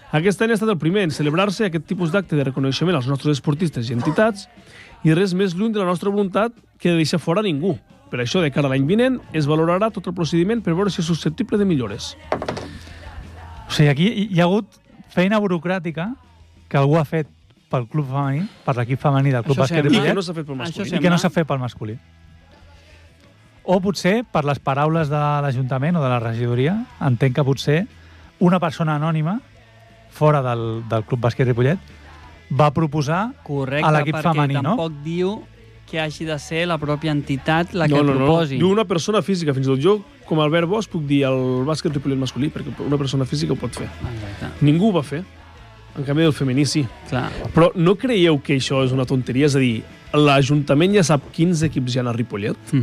Aquest any ha estat el primer en celebrar-se aquest tipus d'acte de reconeixement als nostres esportistes i entitats i res més lluny de la nostra voluntat que de deixar fora ningú. Per això, de cara a l'any vinent, es valorarà tot el procediment per veure si és susceptible de millores. O sigui, aquí hi ha hagut feina burocràtica que algú ha fet pel club femení, per l'equip femení del Club Bàsquet Ripollet, i que no s'ha fet pel masculí. I que no s'ha fet pel masculí. O potser, per les paraules de l'Ajuntament o de la regidoria, entenc que potser una persona anònima fora del Club Bàsquet Ripollet va proposar a l'equip femení, no? Correcte, perquè tampoc diu que hagi de ser la pròpia entitat la que proposi. Diu una persona física. Fins i tot jo, com a Albert Bosch, puc dir el bàsquet Ripollet masculí, perquè una persona física ho pot fer. Exacte. Ningú ho va fer. En canvi, el femení sí. Clar. Però no creieu que això és una tonteria? És a dir, l'Ajuntament ja sap quins equips hi ha a Ripollet,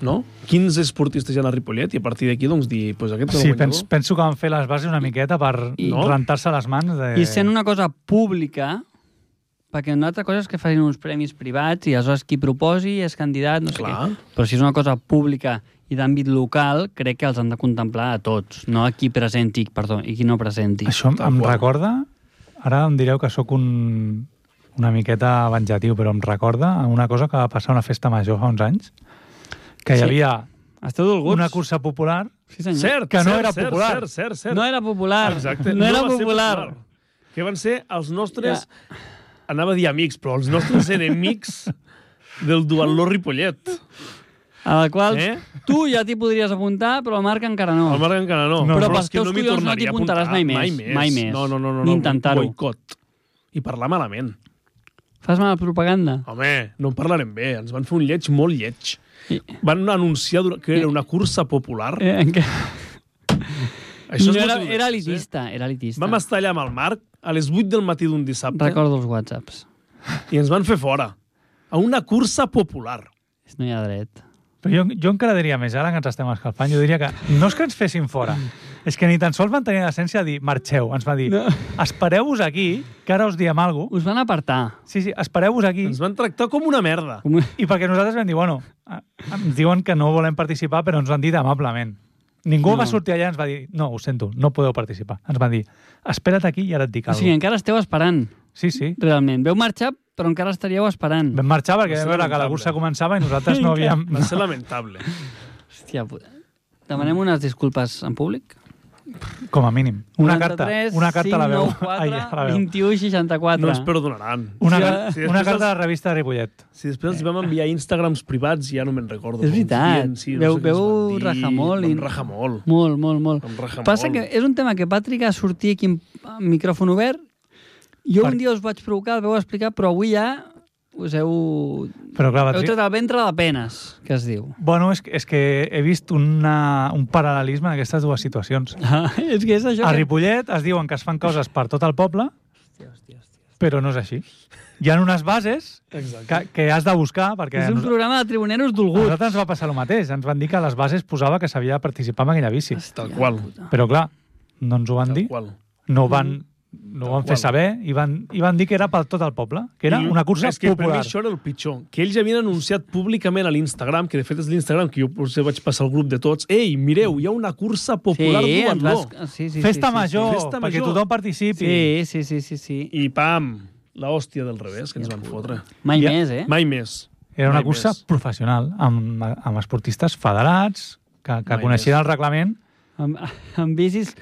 no? 15 esportistes ja a Ripollet, i a partir d'aquí, doncs, dir, pues aquest és el guanyador. Sí, penso que van fer les bases una miqueta per rentar-se les mans. I sent una cosa pública, perquè una altra cosa és que facin uns premis privats i aleshores qui proposi és candidat, no sé què. Però si és una cosa pública i d'àmbit local, crec que els han de contemplar a tots, no a qui presenti, perdó, i qui no presenti. Això em recorda, ara em direu que sóc una miqueta venjatiu, però em recorda una cosa que va passar a una festa major fa uns anys, que hi havia una cursa popular que no era popular. Cert. No era popular. Exacte. No era popular. Que van ser els nostres, anava a dir amics, però els nostres enemics del duatló Ripollet. A la qual tu ja t'hi podries apuntar, però el Marc encara no. El Marc encara no. Però pels teus collons no t'hi apuntaràs mai més. Mai més. No. Ni intentar-ho. Boicot. I parlar malament. Fas mala propaganda? Home, no en parlarem bé. Ens van fer un lleig molt lleig. Van anunciar que era una cursa popular. Això era elitista. Vam estar allà amb el Marc a les 8 del matí d'un dissabte. Recordo els whatsapps. I ens van fer fora. A una cursa popular. No hi ha dret. Però jo encara diria més, ara que ens estem escalfant, jo diria que no és que ens fessin fora, és que ni tan sols van tenir l'essència de dir marxeu. Ens va dir, espereu-vos aquí, que ara us diem alguna cosa. Us van apartar. Sí, espereu-vos aquí. Ens van tractar com una merda. I perquè nosaltres vam dir, bueno, ens diuen que no volem participar, però ens ho han dit amablement. Ningú va sortir allà i ens va dir, no, ho sento, no podeu participar. Ens van dir, espera't aquí i ara et dic alguna cosa. O sigui, encara esteu esperant. Sí. Realment. Veu marxar, però encara estaríeu esperant. Vam marxar perquè vam veure que la cursa començava i nosaltres no havíem... Va ser lamentable. Hòstia puta. Demanem unes disculpes en públic? Com a mínim. Una carta a la veu. 93 21 64. No ens perdonaran. Una carta a la revista de Ripollet. Si després els vam enviar Instagrams privats, ja no me'n recordo. És veritat. Veu rajar molt. Vam rajar molt. Molt. Passa que és un tema que va trigar a sortir aquí amb micròfon obert. Jo un dia us vaig provocar, el vau explicar, però avui ja us heu tret el ventre de penes, que es diu. Bueno, és que he vist un paral·lelisme en aquestes dues situacions. És que és això. A Ripollet es diuen que es fan coses per tot el poble, però no és així. Hi ha unes bases que has de buscar, perquè... És un programa de tribuneros dolguts. A nosaltres ens va passar el mateix. Ens van dir que a les bases posava que s'havia de participar en aquella bici. Tal qual. Però clar, no ens ho van dir. No van no ho van fer saber i van dir que era per tot el poble, que era una cursa és que per mi popular. això era el pitjor, que ells havien anunciat públicament a l'Instagram, que de fet és l'Instagram que jo potser vaig passar al grup de tots, ei, mireu, hi ha una cursa popular duatló. Festa major, perquè tothom participi. Sí. I pam, l'hòstia del revés que ens van fotre. Mai més, eh? Mai més. Era una cursa professional, amb esportistes federats, que coneixien el reglament. Amb bicis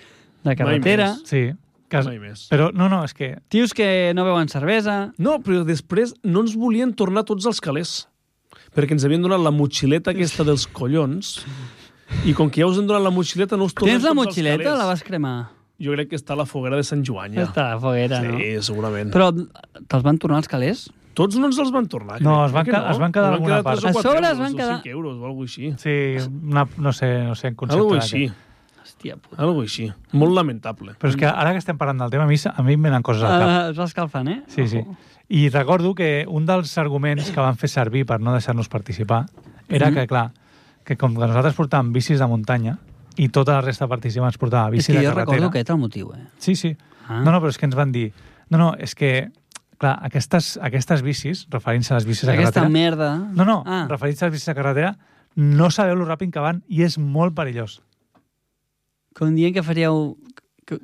de carretera. Sí. Mai més. Però no, és que... Tios que no beuen cervesa. No, però després no ens volien tornar tots als calés, perquè ens havien donat la motxileta aquesta dels collons, i com que ja us han donat la motxileta, no us tornem Tens la tots als motxileta calés. o la vas cremar? Jo crec que està a la foguera de Sant Joan, ja. Està a la foguera, no? Sí, segurament. Però te'ls van tornar els calés? Tots no ens els van tornar. No, es van quedar alguna part. A sobre es van quedar... 5 euros o alguna així. Sí, no sé en concepte. Algo així. Hòstia puta. Algo així. Molt lamentable. Però és que ara que estem parlant del tema, a mi em venen coses al cap. Es va escalfant, eh? Sí. I recordo que un dels arguments que van fer servir per no deixar-nos participar era que, clar, que com que nosaltres portàvem bicis de muntanya i tota la resta de participants portava bici de carretera... És que jo recordo aquest el motiu, eh? Sí. No, però és que ens van dir... No, és que, clar, aquestes bicis, referint-se a les bicis de carretera... Aquesta merda... No, referint-se a les bicis de carretera, no sabeu lo ràpid que van i és molt perillós. Com dient que faríeu...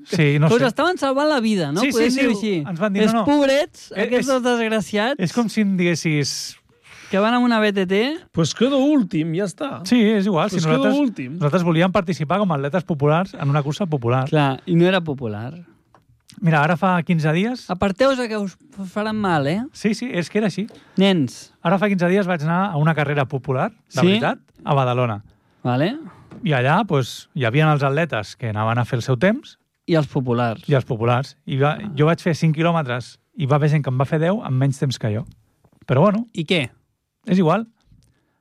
Sí, no sé. Us estaven salvant la vida, no? Sí, Podem dir-ho així. Ens van dir, Els pobrets, aquests dos desgraciats... És com si em diguessis... Que van amb una BTT... Pues quedo últim, ja està. Sí, és igual. Pues quedo últim. Nosaltres volíem participar com a atletes populars en una cursa popular. Clar, i no era popular. Mira, ara fa 15 dies... Aparteu-vos que us faran mal, eh? Sí, és que era així. Nens. Ara fa 15 dies vaig anar a una carrera popular, de veritat, a Badalona. Vale. I allà hi havia els atletes que anaven a fer el seu temps. I els populars. Jo vaig fer 5 quilòmetres i va haver gent que em va fer 10 en menys temps que jo. Però bueno... I què? És igual.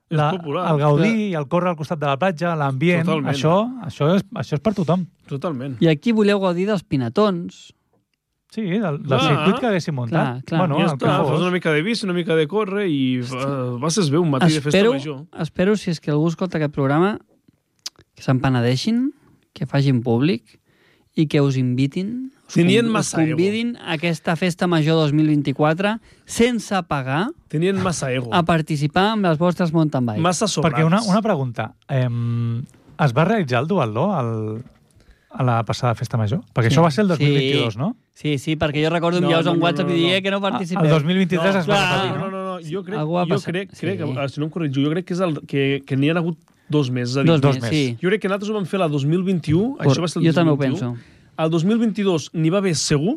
popular. El gaudir i el córrer al costat de la platja, l'ambient, això és per tothom. Totalment. I aquí voleu gaudir dels pinatons. Sí, del circuit que haguéssim muntat. Clar. Bueno, ja està, fas una mica de bici, una mica de córrer i vas bé un matí de festa major. Espero, si és que algú escolta aquest programa, que s'empenedeixin, que facin públic i que us invitin, us convidin a aquesta festa major 2024 sense pagar. Tenien massa ego. A participar amb les vostres mountain bikes. Massa sobrats. Perquè una pregunta. Es va realitzar el duatló a la passada festa major? Perquè això va ser el 2022, no? Sí, perquè jo recordo enviar-vos un WhatsApp i dir que no participeu. El 2023 es va repetir, no? No, jo crec, si no em corregeixo, jo crec que n'hi ha hagut 2 mesos. Dos mesos. Sí. Jo crec que nosaltres ho vam fer la 2021, això va ser el 2021. Jo també ho penso. El 2022 n'hi va haver segur,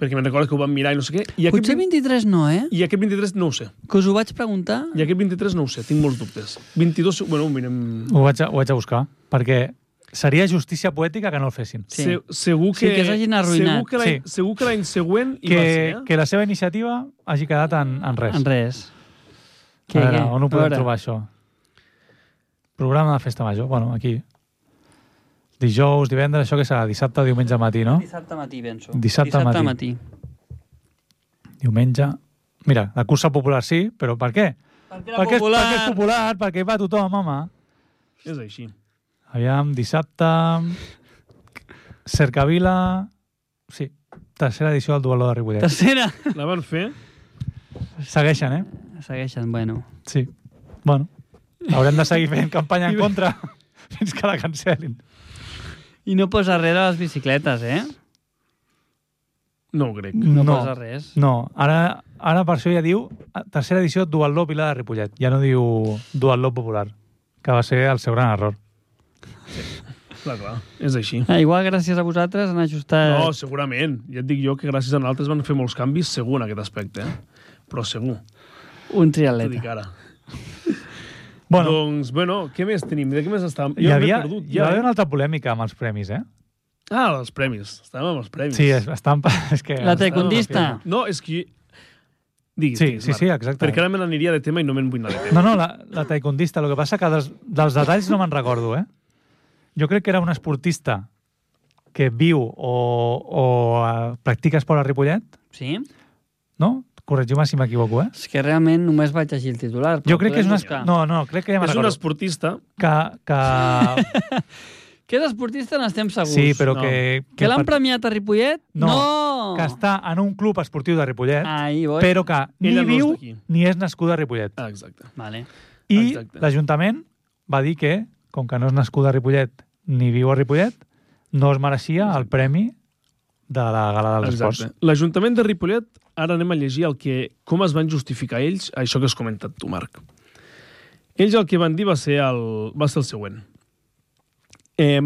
perquè me'n recordo que ho vam mirar i no sé què. Potser 23 no, eh? I aquest 23 no ho sé. Que us ho vaig preguntar. I aquest 23 no ho sé, tinc molts dubtes. 22, bueno, mirem... Ho vaig a buscar, perquè seria justícia poètica que no el fessin. Sí. Segur que s'hagin arruïnat. Segur que l'any següent hi va ser, que la seva iniciativa hagi quedat en res. En res. A veure, on ho podem trobar, això? Programa de festa major. Bueno, aquí. Dijous, divendres, això que serà? Dissabte, diumenge matí, no? Dissabte matí, penso. Dissabte matí. Diumenge... Mira, la cursa popular sí, però per què? Perquè és popular, perquè va tothom, home. És així. Aviam, dissabte... Cercavila... Sí, tercera edició del duatló de Ripollet. Tercera? La van fer? Segueixen, eh? Segueixen, bueno. Sí. Bueno, haurem de seguir fent campanya en contra fins que la cancel·lin. I no posa res a les bicicletes, eh? No ho crec. No posa res. No, ara per això ja diu tercera edició duatló Pilar de Ripollet. Ja no diu duatló popular, que va ser el seu gran error. Sí. Clar, és així. Igual gràcies a vosaltres han ajustat... No, segurament. Ja et dic jo que gràcies a nosaltres van fer molts canvis segur en aquest aspecte, però segur. Un triatleta. T'ho dic ara. Bueno, doncs, què més tenim? De què més estàvem? Hi havia una altra polèmica amb els premis, eh? Ah, els premis. Estàvem amb els premis. Sí, estàvem... És que la taekwondista. No, és que... Diguis, sí, exacte. Perquè ara me n'aniria de tema i no me'n vull anar de tema. No, la taekwondista. El que passa que dels detalls no me'n recordo, eh? Jo crec que era una esportista que viu o practica esport a Ripollet. Sí. No? Corregiu-me si m'equivoco, eh? És que realment només vaig llegir el titular. Jo crec que és una... No, crec que ja me'n recordo. És una esportista. Que és esportista n'estem segurs. Sí, però que... Que l'han premiat a Ripollet? No, que està en un club esportiu de Ripollet, Ahí voy. però que ni Ella no és viu d'aquí. ni és nascuda a Ripollet. Ah, exacte. Vale. I Exacte. l'Ajuntament va dir que, com que no és nascuda a Ripollet ni viu a Ripollet, no es mereixia el premi de la Gala dels Esports. Exacte. L'Ajuntament de Ripollet, ara anem a llegir com es van justificar ells, això que has comentat tu, Marc. Ells el que van dir va ser el següent.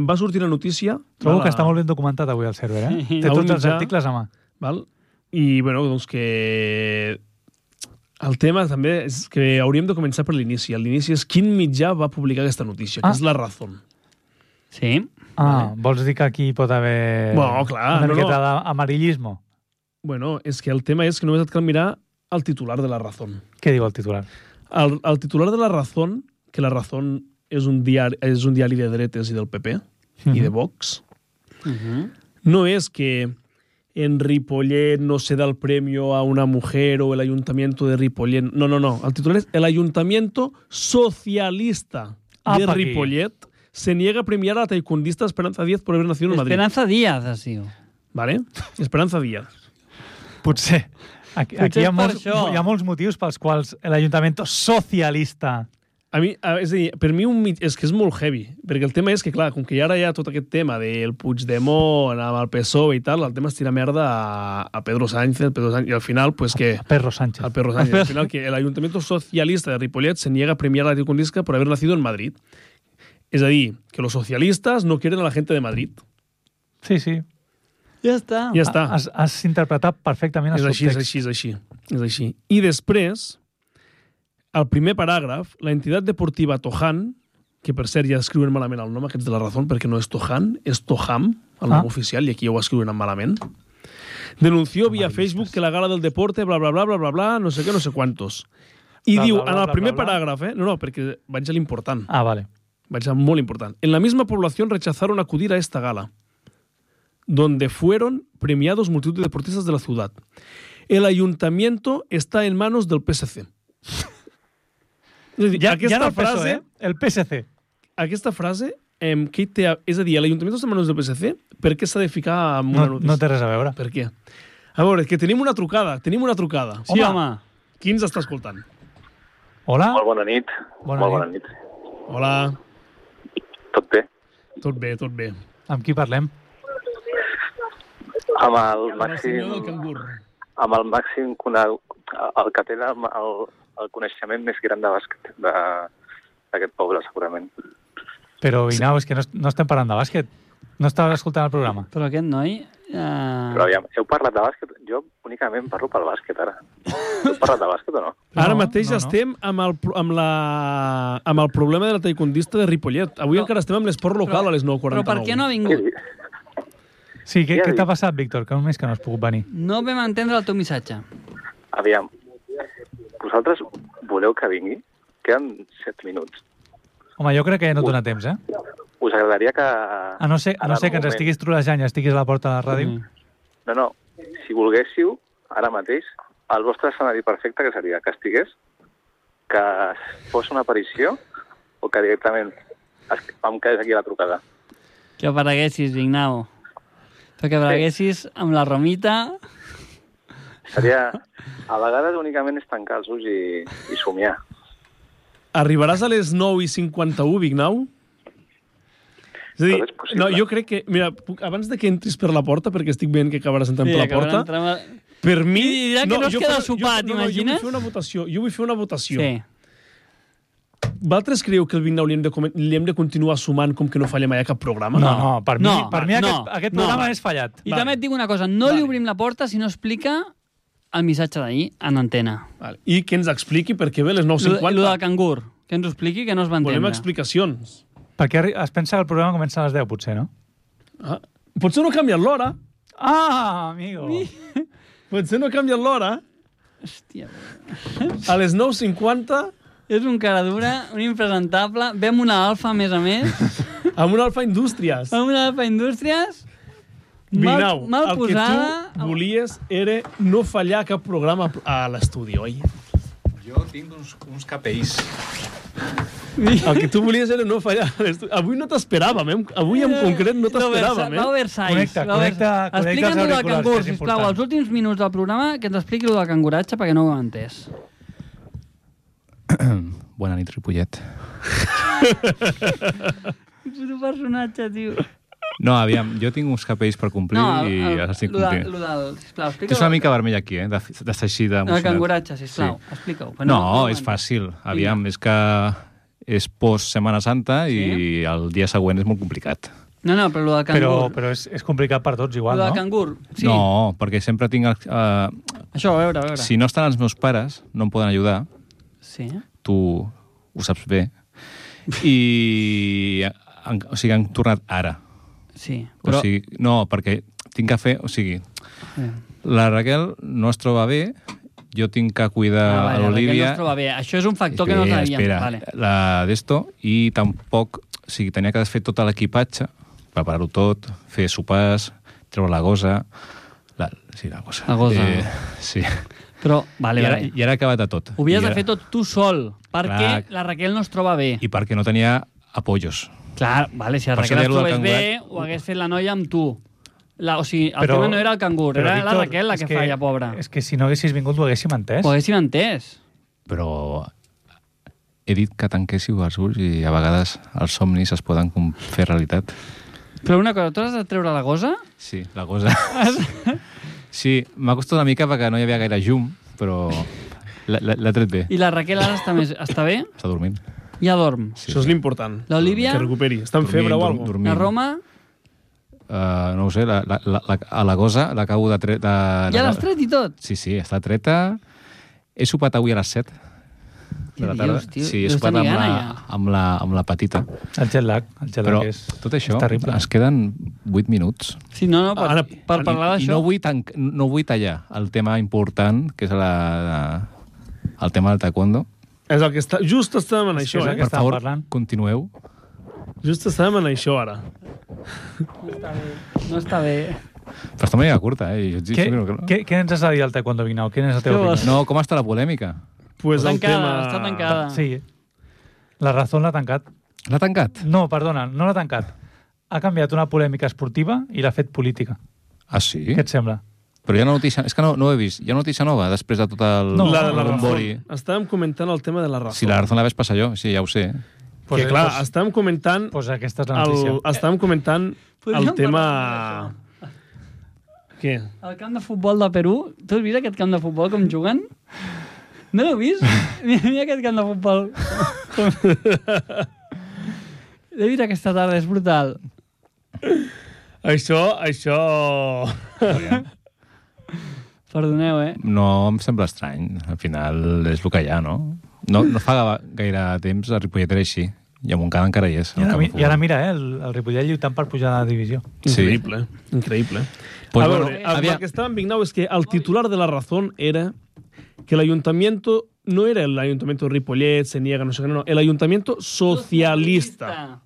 Va sortir la notícia... Trobo que està molt ben documentat avui el server, eh? Sí. Té A un tots els mitjà. articles a mà. Val? I, bueno, doncs que... El tema també és que hauríem de començar per l'inici. L'inici és quin mitjà va publicar aquesta notícia, que és La Razón. Sí. Vols dir que aquí pot haver Bueno, clar, una no, miqueta d'amarillismo? Bueno, és que el tema és que només et cal mirar el titular de La Razón. Què diu el titular? El titular de La Razón, que La Razón és un diari de dretes i del PP i de Vox, no és que en Ripollet no se da el premio a una mujer o el ayuntamiento de Ripollet. No. El titular es: el ayuntamiento socialista de Apa, aquí. Ripollet se niega a premiar a la taekwondista Esperanza Díaz por haber nacido en Madrid. Esperanza Díaz, es diu. ¿Vale? Esperanza Díaz. Potser. Aquí Potser hi ha, és per molts, això. hi ha molts motius pels quals l'Ajuntament socialista... A mi, és a dir, per mi és que és molt heavy, perquè el tema és que, clar, com que ara hi ha tot aquest tema del Puigdemont amb el PSOE i tal, el tema és tirar merda a Pedro Sánchez, i al final, pues que... Perro Sánchez. Al Perro Sánchez. Al final, que el Ayuntamiento Socialista de Ripollet se niega a premiar a la taekwondista por haber nacido en Madrid. És a dir, que los socialistas no quieren a la gente de Madrid. Sí, sí. Ja està. Ja està. Has interpretat perfectament el subtext. És així. I després, al primer paràgraf, la entitat deportiva Tojan, que per cert ja escriuen malament el nom aquests de La Razón, perquè no és Tojan, és Tojam, el nom oficial, i aquí ja ho escriuen malament, denunció via Facebook que la gala del deporte, bla, bla, bla, bla, bla, bla, no sé què, no sé quantos. I diu, en el primer paràgraf, no, perquè vaig a l'important. Ah, vale. Vaig a molt important. En la misma población rechazaron acudir a esta gala, donde fueron premiados multitud de deportistas de la ciudad. El ayuntamiento está en manos del PSC. És a dir, Ja aquesta no el frase... PSOE, el PSC. Aquesta frase, què té, és a dir, l'Ajuntament està en manos del PSC, per què s'ha de ficar en una notícia? No té res a veure. Per què? A veure, que tenim una trucada. Sí, home. Qui ens està escoltant? Hola? Molt bona nit. Bona nit. Hola. Tot bé? Tot bé. Amb qui parlem? Amb el El senyor del màxim... cangur. Amb el màxim el que té el coneixement més gran de bàsquet d'aquest poble, segurament. Però, Vinau, és que no estem parlant de bàsquet. No estaves escoltant el programa. Però aquest noi... Però aviam, heu parlat de bàsquet? Jo únicament parlo pel bàsquet, ara. Heu parlat de bàsquet o no? Ara mateix estem amb el problema de la taekwondista de Ripollet. Avui encara estem amb l'esport local a les 9:49. Però per què no ha vingut? Sí, què t'ha passat, Víctor? Que només que no has pogut venir. No vam entendre el teu missatge. Aviam, vosaltres voleu que vingui? Queden 7 minuts. Home, jo crec que ja no et dona temps, eh? Us agradaria que... A no ser que ens estiguis trolejant i estiguis a la porta de la ràdio. No, si volguéssiu, ara mateix, el vostre escenari perfecte que seria que estigués, que fos una aparició o que directament em quedés aquí a la trucada. Que apareguessis, Vignau. Perquè apareguessis amb la Romita... Seria... A vegades únicament és tancar els ulls i somiar. Arribaràs a les 9:51, Vignau? És a dir, Tot és possible. no, jo crec que... Mira, abans de que entris per la porta, perquè estic veient que acabaràs entrant per la porta, per mi... I dirà que no es jo queda faré- sopat, jo t'imagines? Jo vull fer una votació. Sí. Vosaltres creieu que el Vignau li hem de continuar sumant com que no fallem mai a cap programa? No, per mi no, aquest programa és fallat. I també et dic una cosa, no li obrim la porta si no explica el missatge d'ahir en antena. Vale. I que ens expliqui per què ve a les 9:50. Lo del cangur. Que ens ho expliqui, que no es va entendre. Volem explicacions. Perquè es pensa que el programa comença a les 10, potser, no? Ah, potser no ha canviat l'hora. Ah, amigo! Potser no ha canviat l'hora. Hòstia, A les 9:50, és un cara dura, un impresentable. Vem una alfa, a més, amb una Alfa Indústries. amb una alfa Indústries. Vinau, mal el posada. que tu volies era no fallar cap programa a l'estudi, oi? Jo tinc uns KPIs. El que tu volies era no fallar. Avui no t'esperàvem, avui en concret no t'esperàvem. Va Versailles. Connecta Explica'ns els el del auriculars, cangur, que és sisplau. important. Els últims minuts del programa que ens expliqui el del canguratge perquè no ho hem entès. Bona nit, Ripollet. Puto personatge, tio. No, aviam, jo tinc uns capells per complir i els estic complint. Sisplau, Tens una mica vermell aquí, de ser així El d'emocionat. canguratge, sisplau, explica-ho. No, és fàcil. Aviam, és que és post Setmana Santa i el dia següent és molt complicat. No, però el del cangur. Però és complicat per tots igual, El del no? cangur, sí. No, perquè sempre tinc... Això, a veure. Si no estan els meus pares, no em poden ajudar. Sí. Tu ho saps bé. O sigui, han tornat ara. Sí, però... O sigui, no, perquè tinc que fer... O sigui, la Raquel no es troba bé, jo tinc que cuidar a l'Olivia... No es troba bé. Això és un factor que no sabíem. Espera, Vale. la d'esto, i tampoc... O sigui, tenia que fer tot l'equipatge, preparar-ho tot, fer sopars, treure la gosa... La gosa. La gosa. Sí. Però, vale. I ara he acabat de tot. Ho havies de fer tot tu sol, perquè Clar. la Raquel no es troba bé. I perquè no tenia apoyos. Clar, vale, si la Per Raquel això es dir-lo del trobés bé, cangurat. ho hagués fet la noia amb tu. O sigui, el Però- tema no era el cangur, però, era la Víctor, Raquel la és que falla, pobra. És que si no haguessis vingut ho haguéssim entès. Ho haguéssim entès. Però he dit que tanquéssiu els ulls i a vegades els somnis es poden fer realitat. Però una cosa, tu has de treure la gosa? Sí, la cosa... Sí, m'ha costat una mica perquè no hi havia gaire llum, però l'ha tret bé. I la Raquel ara està bé? Està dormint. Ja dorm. Sí, Això és l'important. L'Olivia? Que recuperi. Està en febre o alguna cosa? La Roma? No ho sé, a la gosa l'acabo de treure... Ja l'has tret i tot? Sí, està treta. He sopat avui a les 7 de la tarda. dius, tio? Sí, he Deus sopat tenir gana, amb la petita. El jet lag Però és... tot això, és terrible. es queden 8 minuts. Sí, no, per parlar I d'això... no vull tallar el tema important, que és el tema del taekwondo. És el que està... Just estàvem en això, és el que Per estàvem favor, parlant. continueu. Just estàvem en això, ara. No està bé. Però està una mica curta, Jo et dic que no. Què ens has de dir al taekwondo, Vignau? Quina és la teva Què vols? opinió? No, com està la polèmica? Pues el tema... Està tancada. Sí. La Razón l'ha tancat. L'ha tancat? No, perdona, no l'ha tancat. Ha canviat una polèmica esportiva i l'ha fet política. Ah, sí? Què et sembla? Però hi ha notícia... És que no ho he vist. Hi ha notícia nova després de tot el... No, La bombori. Razón. Estàvem comentant el tema de la Razón. Si la Razón la vaig passar jo, sí, ja ho sé. Que clar, estàvem comentant... Pues aquesta és la notícia. Estàvem comentant Podríem el tema... parlar Què? El camp de futbol de Perú, tu has vist aquest camp de futbol com juguen? No l'heu vist? Mira aquest camp de futbol. L'he vist aquesta tarda, és brutal. Això... Perdoneu, No em sembla estrany. Al final és el que hi ha, no? No fa gaire temps el Ripollet era així. I a Montcada encara hi és. I ara mira, el Ripollet lluitant per pujar a la divisió. Increïble, increïble. Pues a bueno, veure, el que estava en Vignau és que el titular de la Razón era que el ayuntamiento no era el ayuntamiento de Ripollet, se niega, no sé qué, no, el ayuntamiento socialista.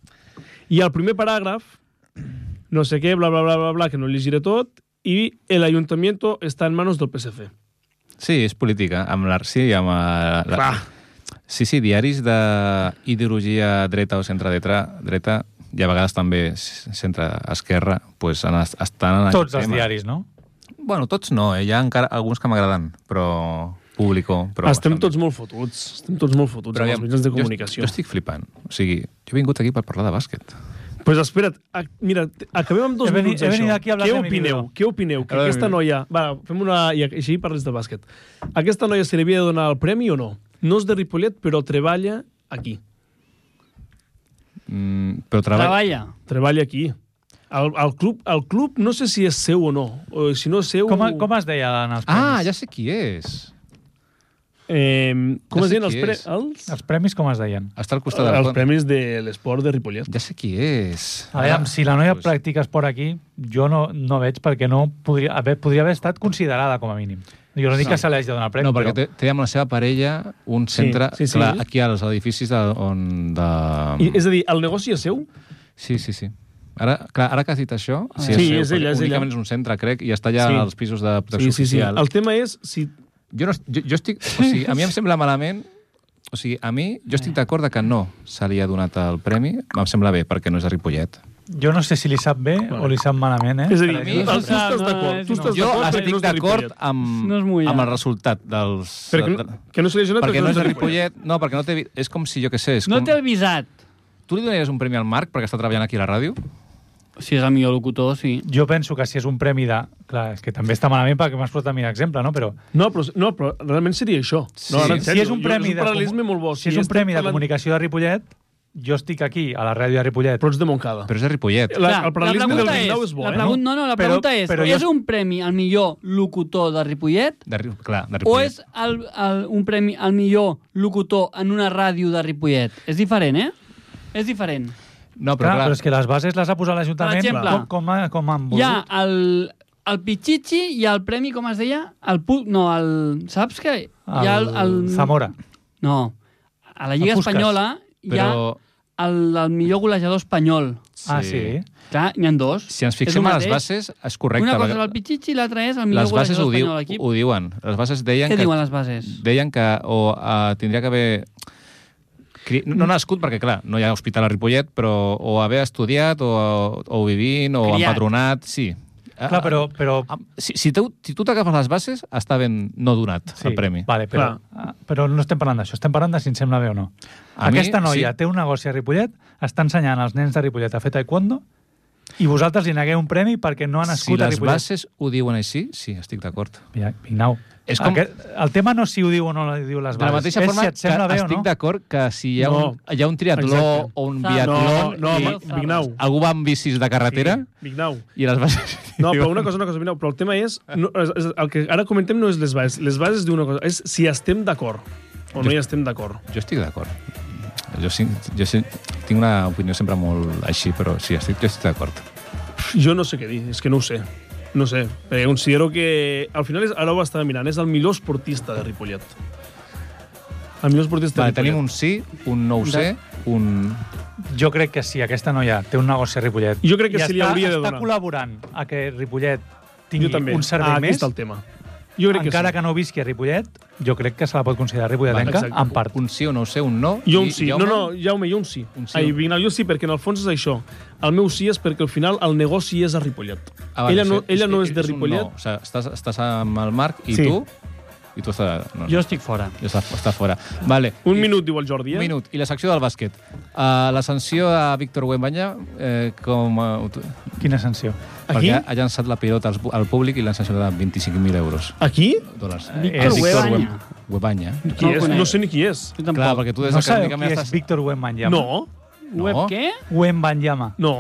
I al primer paràgraf, no sé què, bla, bla, bla, bla, bla, que no llegiré tot, i el ayuntamiento està en manos del PSC. Sí, és política. Amb Clar. Sí, diaris d'ideologia dreta o centre-dreta, i a vegades també centre-esquerra, pues, estan en Tots aquest els tema. diaris, no? Bueno, tots no, hi ha encara alguns que m'agraden, però público. Però Estem bastant. tots molt fotuts. Estem tots molt fotuts amb els mitjans de comunicació. Jo estic flipant. O sigui, jo he vingut aquí per parlar de bàsquet. Pues espera't, mira, acabem amb 2 minuts he venit això. aquí a hablar de mi video. Què opineu? Que Hablar de aquesta mi noia... Va, fem una... I així parles de bàsquet. Aquesta noia se li havia de donar el premi o no? No és de Ripollet, però treballa aquí. Però Treballa. Treballa aquí. El club no sé si és seu o no. O si no és seu... Com es deia en els premis? Ah, ja sé qui és. Com Ja es sé diuen qui és. Els premis com es deien? Està al costat del els pont. premis de l'esport de Ripollet. Ja sé qui és. A veure, si la noia pues, practica esport aquí, jo no veig perquè no podria haver estat considerada com a mínim. Jo no dic que se l'hagi de donar el premi, No, perquè però... té amb la seva parella un centre... sí. Clar, aquí als edificis on... És a dir, el negoci és seu? Sí. Ara que has dit això, Sí, seu, és ella, perquè és ella. únicament és un centre, crec, i està allà Sí. als pisos de protecció Sí. oficial. El tema és si... Jo estic... O sigui, a mi em sembla malament O sigui, a mi, jo estic d'acord que no se li ha donat el premi. Em sembla bé, perquè no és de Ripollet. Jo no sé si li sap bé o li sap malament, És a dir, Per a mi, tu estàs d'acord. Tu estàs Jo d'acord perquè estic no és de d'acord Ripollet. amb el resultat dels... Que no se li ha donat perquè no és de Ripollet. No, perquè no té... És com si, jo què sé... No t'he avisat. Tu li donaries un premi al Marc perquè està treballant aquí a la ràdio? Si és el millor locutor, sí. Jo penso que si és un premi de... Clar, és que també està malament perquè m'has posat a mi l'exemple, no? Però No, però realment seria això. Sí. No, ara, en si sèrio, és un premi és un paral·lelisme molt bo. si és un premi de comunicació de Ripollet, jo estic aquí, a la ràdio de Ripollet. Però ets de Montcada. Però és de Ripollet. El paral·lelisme del Vignau és bo, la pregunta és, però és un premi al millor locutor de Ripollet Clar, de o Ripollet. és un premi al millor locutor en una ràdio de Ripollet? És diferent, eh? És diferent. No, Clar, però però és que les bases les ha posat l'Ajuntament Per exemple, com han volgut. Hi ha el Pichichi i el premi, com es deia? Saps què? Hi ha el Zamora. No. A la Lliga El Puskás. Espanyola hi ha Però... el millor golejador espanyol. Ah, sí? Clar, n'hi ha dos. Si ens És el fixem a les mateix. bases, és correcte. Una cosa és el Pichichi i l'altra és el millor Les bases golejador espanyol de l'equip. ho diuen. Les bases deien Què que... diuen les bases? Deien que tindria que haver... No nascut, perquè, clar, no hi ha hospital a Ripollet, però o haver estudiat, o vivint, o Criat. empadronat, sí. Clar, però... Si tu t'agafes les bases, està ben no donat el premi. Vale, però no estem parlant d'això, estem parlant de si em sembla bé o no. Aquesta noia té un negoci a Ripollet, està ensenyant als nens de Ripollet a fer taekwondo i vosaltres li negueu un premi perquè no ha nascut a Ripollet. Si les bases ho diuen així, sí, estic d'acord. Vignau. És com... El tema no és si ho diu o no ho diu les bases. De la mateixa forma si et sembla bé o no. estic d'acord que si hi ha un triatló Exacte. o un biatló No, Vignau. algú va amb bicis de carretera Vignau. i les bases... No, però una cosa, Vignau, però el tema és el que ara comentem no és les bases. Les bases diuen una cosa, és si estem d'acord o no hi estem d'acord. Jo estic d'acord. Jo tinc una opinió sempre molt així, però sí, jo estic d'acord. Jo no sé què dir, és que no ho sé. No sé, perquè considero que... Al final, ara ho estava mirant, és el millor esportista de Ripollet. El millor esportista de Ripollet. Tenim un sí, un no ho sé, un... Jo crec que sí, aquesta noia té un negoci a Ripollet. Jo crec que sí li hauria de donar. Està col·laborant a que Ripollet tingui també. un servei Aquí més. està el tema. Jo crec Encara que sí. que no visqui a Ripollet, jo crec que se la pot considerar ripolletenca en part. Un sí o no ho sé, un no. Jo un sí. No, Jaume, jo un sí. Vignau, jo sí, perquè en el fons és això. El meu sí és perquè al final el negoci és a Ripollet. Ella no és de Ripollet. No. O sigui, estàs amb el Marc i Sí. tu... I tu estàs... No, Jo estic fora. Està fora. Vale. Un minut, diu el Jordi, Un minut. I la secció del bàsquet. La sanció a Víctor Wembanyama, com... Quina sanció? Aquí? Perquè ha llançat la pilota al públic i l'han sancionat de 25.000 euros. Aquí? Dòlars. Víctor Wembanyama. Wembanyama. Qui és? No sé ni qui és. Jo tampoc. Clar, perquè tu des No de sabeu Càrnica qui és Víctor Wembanyama? No. Web què? Wembanyama. No.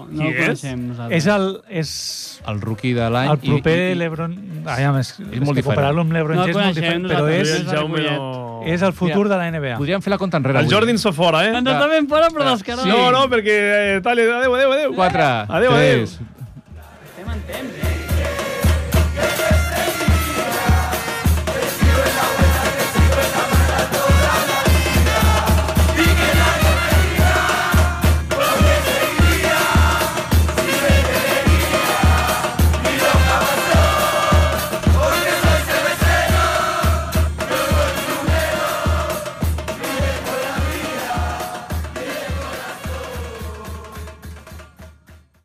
No Qui el és? coneixem nosaltres. És el rookie de l'any. el proper LeBron... És molt diferent. comparar-lo amb LeBron No el James és molt coneixem diferent, però nosaltres. és, El Jaume no... és el futur de la NBA. Podríem fer la compta enrere El avui. Jordi ens fa fora, eh? Ens està ben fora, però descarat. No, perquè... Adéu. 4, Adéu. 3... Estem en temps,